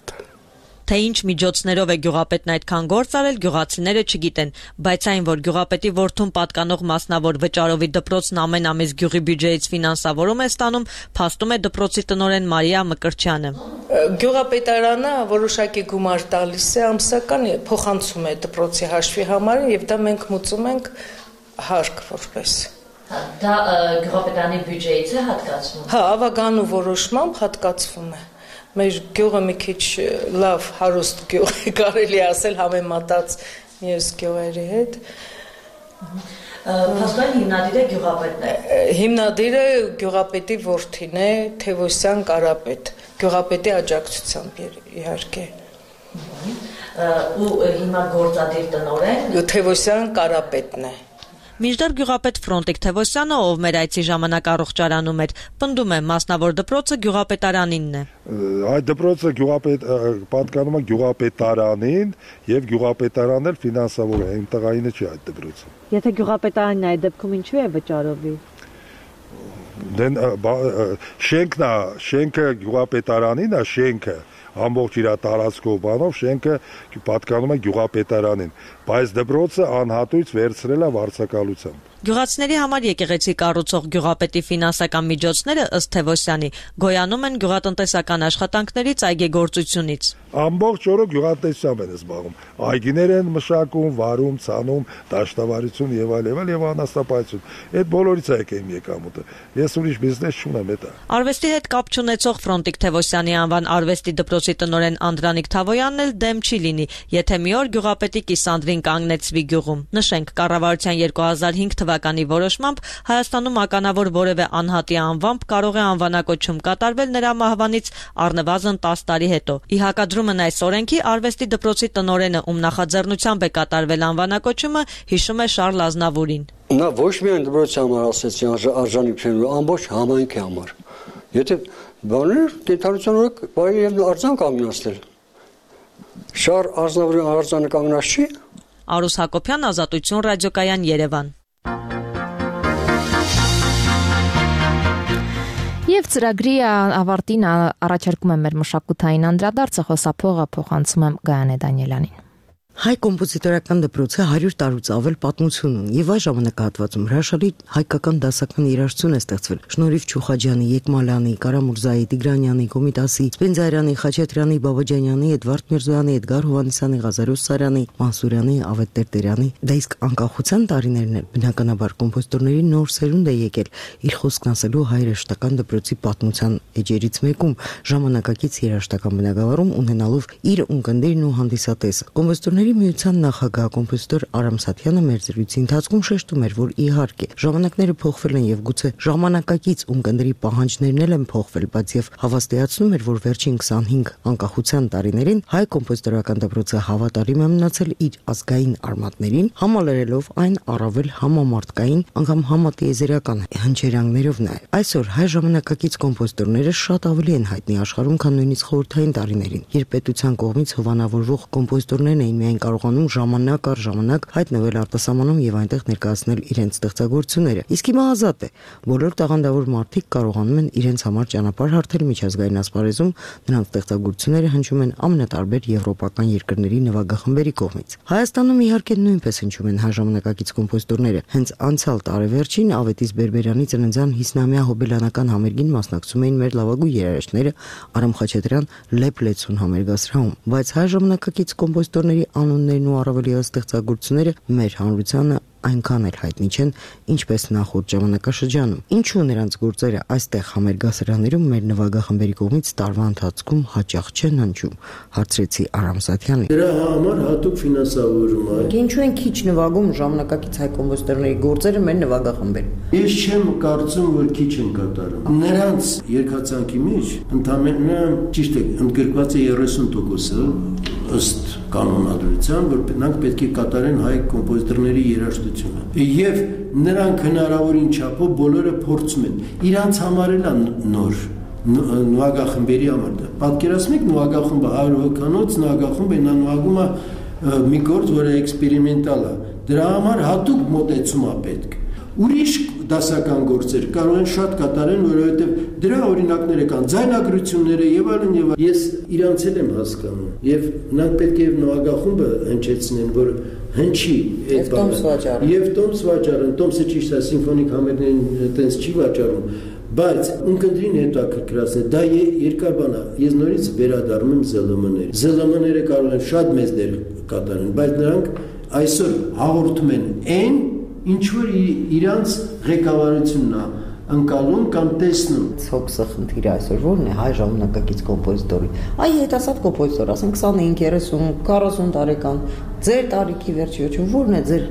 Թե ինչ միջոցներով է գյուղապետն այդքան գործ արել, գյուղացիները չգիտեն, բայց այն, որ գյուղապետի որդուն պատկանող մասնավոր վճարովի դպրոցն ամեն ամիս գյուղի բյուջեից ֆինանսավորում է ստանում, փաստում է դպրոցի տնօրեն Մարիա Մկրտչյանը։ Գյուղապետարանը որոշակի գումար տալիս է ամսական, փոխանցում է դպրոցի հաշվի համար եւ դա մենք մուծում ենք հարկ որպես։ Դա գյուղապետարանի բյուջեից է հատկացվում։ Հա, ավականու որոշմամբ հատկացվում է։ Մեր գյուղը մի քիչ լավ հարուստ գյուղ է, կարելի ասել համեմատած մյուս գյուղերի հետ։ Փաստորեն հիմնադիրը գյուղապետն է։ Հիմնադիրը գյուղապետի որդին է, Թևոսյան Կարապետ, գյուղապետի աջակցությամբ իհարկե։ Ու հիմա գործադիր տնօրեն Թևոսյան Կարապետն է։ Մինչդեռ գյուղապետ Ֆրոնտիկ Թևոսյանը, ով մեր այցի ժամանակ առողջարանում էր, պնդում է մասնավոր դպրոցը գյուղապետարանինն է։ Այդ դպրոցը պատկանում է գյուղապետարանին եւ գյուղապետարանն էլ ֆինանսավորում է, իմ տղայինը չի այդ դպրոցը։ Եթե գյուղապետարանն է այդ դեպքում ինչու է վճարովի։ Շենքը գյուղապետարանին է, շենքը, ամբողջ իր տարածքով բանով շենքը պատկանում է գյուղապետարանին, բայց դպրոցը անհատույց վերցրել է վարձակալությամբ։ Գյուղացիների համար եկեղեցի կառուցող գյուղապետի ֆինանսական միջոցները ըստ Թևոսյանի գոյանում են գյուղատնտեսական աշխատանքներից այգեգործությունից։ Ամբողջ օրը գյուղատնտեսությամբ են զբաղվում։ Այգիներ են մշակում, վարում, ցանում, դաշտավարություն եւ այլ եւ անաստապայություն։ Այդ բոլորից է եկել իմ եկամուտը։ Ես ուրիշ բիզնես չունեմ դա։ Արվեստի հետ կապ չունեցող Ֆրոնտիկ Թևոսյանի անվան արվեստի դպրոցի տնօրեն Անդրանիկ Թավոյանն էլ դեմ չի լինի, եթե մի օր գյուղապետի կիսանդրին կանգնեցվի գյուղում։ Նշենք, կառավարության 2005 թվականի որոշմամբ Հայաստանում ականավոր որևէ անհատի անվամբ կարող է անվանակոչում կատարվել նրա մահվանից առնվազն 10 տարի հետո։ Ի հակադրումն այս օրենքի արվեստի դպրոցի տնօրենը, ում նախաձեռնությամբ է կատարվել անվանակոչումը, հիշում է Շարլ Ազնավուրին։ Նա ոչ միայն դպրոցի համար ասեցի արժանիք չեն, ամբողջ համայնքի համար։ Եթե բաներ կենթանության օրը բարի եւ արձան կանգնացնել։ Շար Ազնավուրի արձանը կանգնած չի։ Արուս Հակոբյան, Ազատություն ռադիոկայան, Երևան։ Եվ ծրագրի ավարտին առաջարկում եմ մեր մշակութային անդրադարձը, խոսափողը փոխանցում եմ Գայանե Դանիելյանին։ Հայ կոմպոզիտորական դպրոցը 100 տարուց ավել պատմություն ունի եւ այս ժամանակահատվածում հրաշալի հայկական դասական երաժշտություն է ստեղծվել։ Շնորհիվ Չուխաջյանի, Եկմալյանի, Կարամուրզայի, Տիգրանյանի, Կոմիտասի, Սպենզայրյանի, Խաչատրյանի, Բաբաջանյանի, Էդվարդ Միրզոյանի, Էդգար Հովհաննիսյանի, Ղազարոս Սարյանի, Մանսուրյանի, Ավետ Տերտերյանի, դա իսկ անկախության տարիներն են բնականաբար կոմպոզիտորների նոր սերունդ է եկել իր խոսքն ասելու հայ երաժշտական դպրոցի պատմության էջերից մեկում ժամանակակից երաժշտական բնագավառում ունենալով իր ունկնդիրն ու հանդիսատեսը։ Կոմպոզիտորների միության նախագահ կոմպոզիտոր Արամ Սաթյանը մեր զրույցի ընթացքում շեշտում էր, որ իհարկե ժամանակները փոխվել են եւ գուցե ժամանակակից ունկնդրի պահանջներն էլ են փոխվել, բայց եւ հավաստիացնում էր, որ վերջին 25 անկախության տարիներին հայ կոմպոզիտորական դպրոցը հավատարիմ է մնացել իր ազգային արմատներին, համալրելով այն առավել համամարտկային, անգամ համատիեզերական հնչերանգներով նաեւ։ Այսօր հայ ժամանակակից կոմպոզիտորները շատ ավելի են հայտնի աշխարհում, քան նույնիսկ խորհրդային տարիներին, երբ պետության կողմից հովանավորվող կոմպոզիտորներն էին միայն կարողանում ժամանակ առ ժամանակ հայտնվել արտասահմանում եւ այնտեղ ներկայացնել իրենց ստեղծագործությունները։ Իսկ հիմա ազատ է։ Բոլոր տաղանդավոր մարդիկ կարողանում են իրենց համար ճանապարհ հարթել միջազգային ասպարեզում, նրանց ստեղծագործությունները հնչում են ամենատարբեր եվրոպական երկրների նվագախմբերի կողմից։ Հայաստանում իհարկե նույնպես հնչում են հայ ժամանակակից կոմպոզիտորները։ Հենց անցյալ տարեվերջին Ավետիս Բերբերյանի ծննդյան 50-ամյա հոբելյանական համերգին մասնակցում էին մեր լավագույն երաժիշտները Արամ Խաչատրյան, Լեփ Լեցուն համերգասրահում, բայց հայ ժամանակակից կոմպոզիտորների անուններն ու առավել ևս ստեղծագործությունները մեր հանրությանը այնքան էլ հայտնի չեն, ինչպես նախորդ ժամանակաշրջանում։ Ինչու նրանց գործերը այստեղ համերգասրահներում մեր նվագախմբերի կողմից տարվա ընթացքում հաճախ չեն հնչում, հարցրեցի Արամ Սաթյանին։ Դրա համար հատուկ ֆինանսավորում է։ Ինչու են քիչ նվագում ժամանակակից հայ կոմպոզիտորների գործերը մեր նվագախմբերում։ Ես չեմ կարծում, որ քիչ են կատարում։ Նրանց երկացանքի մեջ ընդամենը ճիշտ է ընդգրկված է 30% ըստ կանոնադրության, որ նրանք պետք է կատարեն հայ կոմպոզիտորների երաժշտությունը։ Եվ նրանք հնարավորին չափով բոլորը փորձում են։ Իրանց համար էլ նոր նվագախմբերի համար դա։ Պատկերացնեք նվագախումբը 100 հոգանոց նվագախումբ է, նա նվագում է մի գործ, որը էքսպերիմենտալ է։ Դրա համար հատուկ մոտեցում է պետք։ Ուրիշ դասական գործեր կարող են շատ կատարեն, որովհետև դրա օրինակները կան, ձայնագրությունները եւ այլն եւ ես իրանց էլ եմ հասկանում եւ նրանք պետք է նվագախումբը հնչեցնեն, որ հնչի այդ բանը եւ տոմս վաճառեն, տոմսը ճիշտ է սիմֆոնիկ համերգներին այտենց չի վաճառում, բայց ունկնդրին հետաքրքրացնել, դա երկար բան է, ես նորից վերադառնում եմ ԶԼՄ-ներ։ ԶԼՄ-ները կարող են շատ մեծ դեր կատարեն, բայց նրանք այսօր հաղորդում են այն ինչ որ իրանց ղեկավարությունն է ընկալում կամ տեսնում։ Ցոքսը խնդիրը այսօր ո՞րն է հայ ժամանակակից կոմպոզիտորի։ Այ հետասատ կոմպոզիտոր, ասենք 25, 30, 40 տարեկան, ձեր տարիքի վերջի ո՞րն է ձեր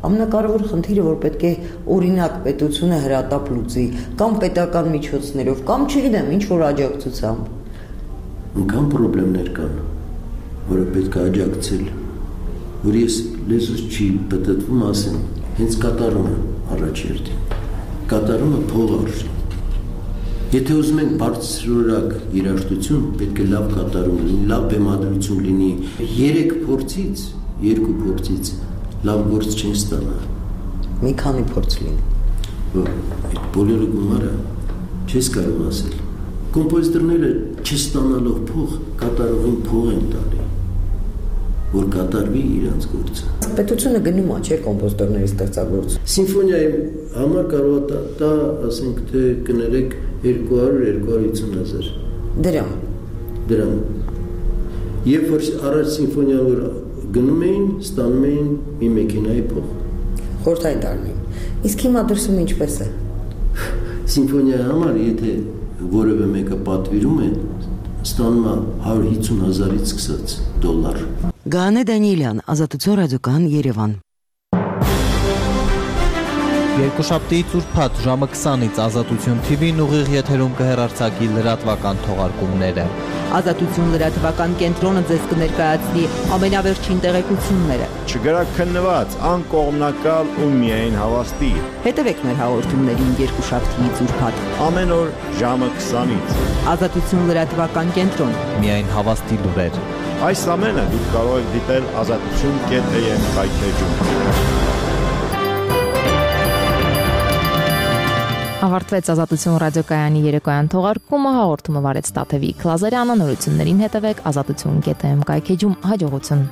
ամենակարևոր խնդիրը, որ պետք է օրինակ պետությունը հրատապ լուծի, կամ պետական միջոցներով, կամ չգիտեմ, ինչ որ աջակցությամբ։ Անկամ խնդիրներ կան, որը պետք է աջակցել, որ ես լեզուս չի պատտվում ասեմ, հենց կատարումը առաջ երթին, կատարումը փող արժի։ Եթե ուզում ենք բարձրորակ երաժշտություն, պետք է լավ կատարում լինի, լավ բեմադրություն լինի, 3 փորձից, 2 փորձից լավ գործ չեն ստանա։ Մի քանի փորձ լինի։ Այդ բոլորը գումարը չես կարող ասել։ կոմպոզիտորները չստանալով փող կատարողին փող են տալի, որ կատարվի իրանց գործը։ Պետությունը գնում է չէ կոմպոզիտորների ստեղծագործություն։ Սիմֆոնիայի համար կարող է տա, ասենք թե կներեք 200-250 հազար դրամ։ Երբ որ առաջ սիմֆոնիան որ գնում էին, ստանում էին մի մեքենայի փող։ Խորհրդային տարին։ Իսկ հիմա դրսում ինչպես է։ Սիմֆոնիայի համար եթե որևէ մեկը պատվիրում է, ստանում է 150 հազարից սկսած դոլար։ Գանե Դանիելյան, Ազատություն ռադիոկայան, Երևան։ Երկուշաբթի ծուրփաթ ժամը 20-ից Ազատություն TV-ն ուղիղ եթերում կհեռարձակի լրատվական թողարկումները։ Ազատություն լրատվական կենտրոնը ձեզ կներկայացնի ամենավերջին տեղեկությունները։ Չգրաքննված, անկողմնակալ ու միայն հավաստի։ Հետևեք մեր հաղորդումներին երկուշաբթի ծուրփաթ։ Ամեն օր ժամը 20-ից։ Ազատություն լրատվական կենտրոն։ Միայն հավաստի լուրեր։ Այս ամենը դուք կարող եք դիտել azatutun.am կայքեջում։ Ավարտվեց Ազատություն ռադիոկայանի երեկոյան թողարկումը, հաղորդումը վարեց Տաթևիկ Լազարյանը, նորություններին հետևեք azatutun.am կայքեջում, հաջողություն։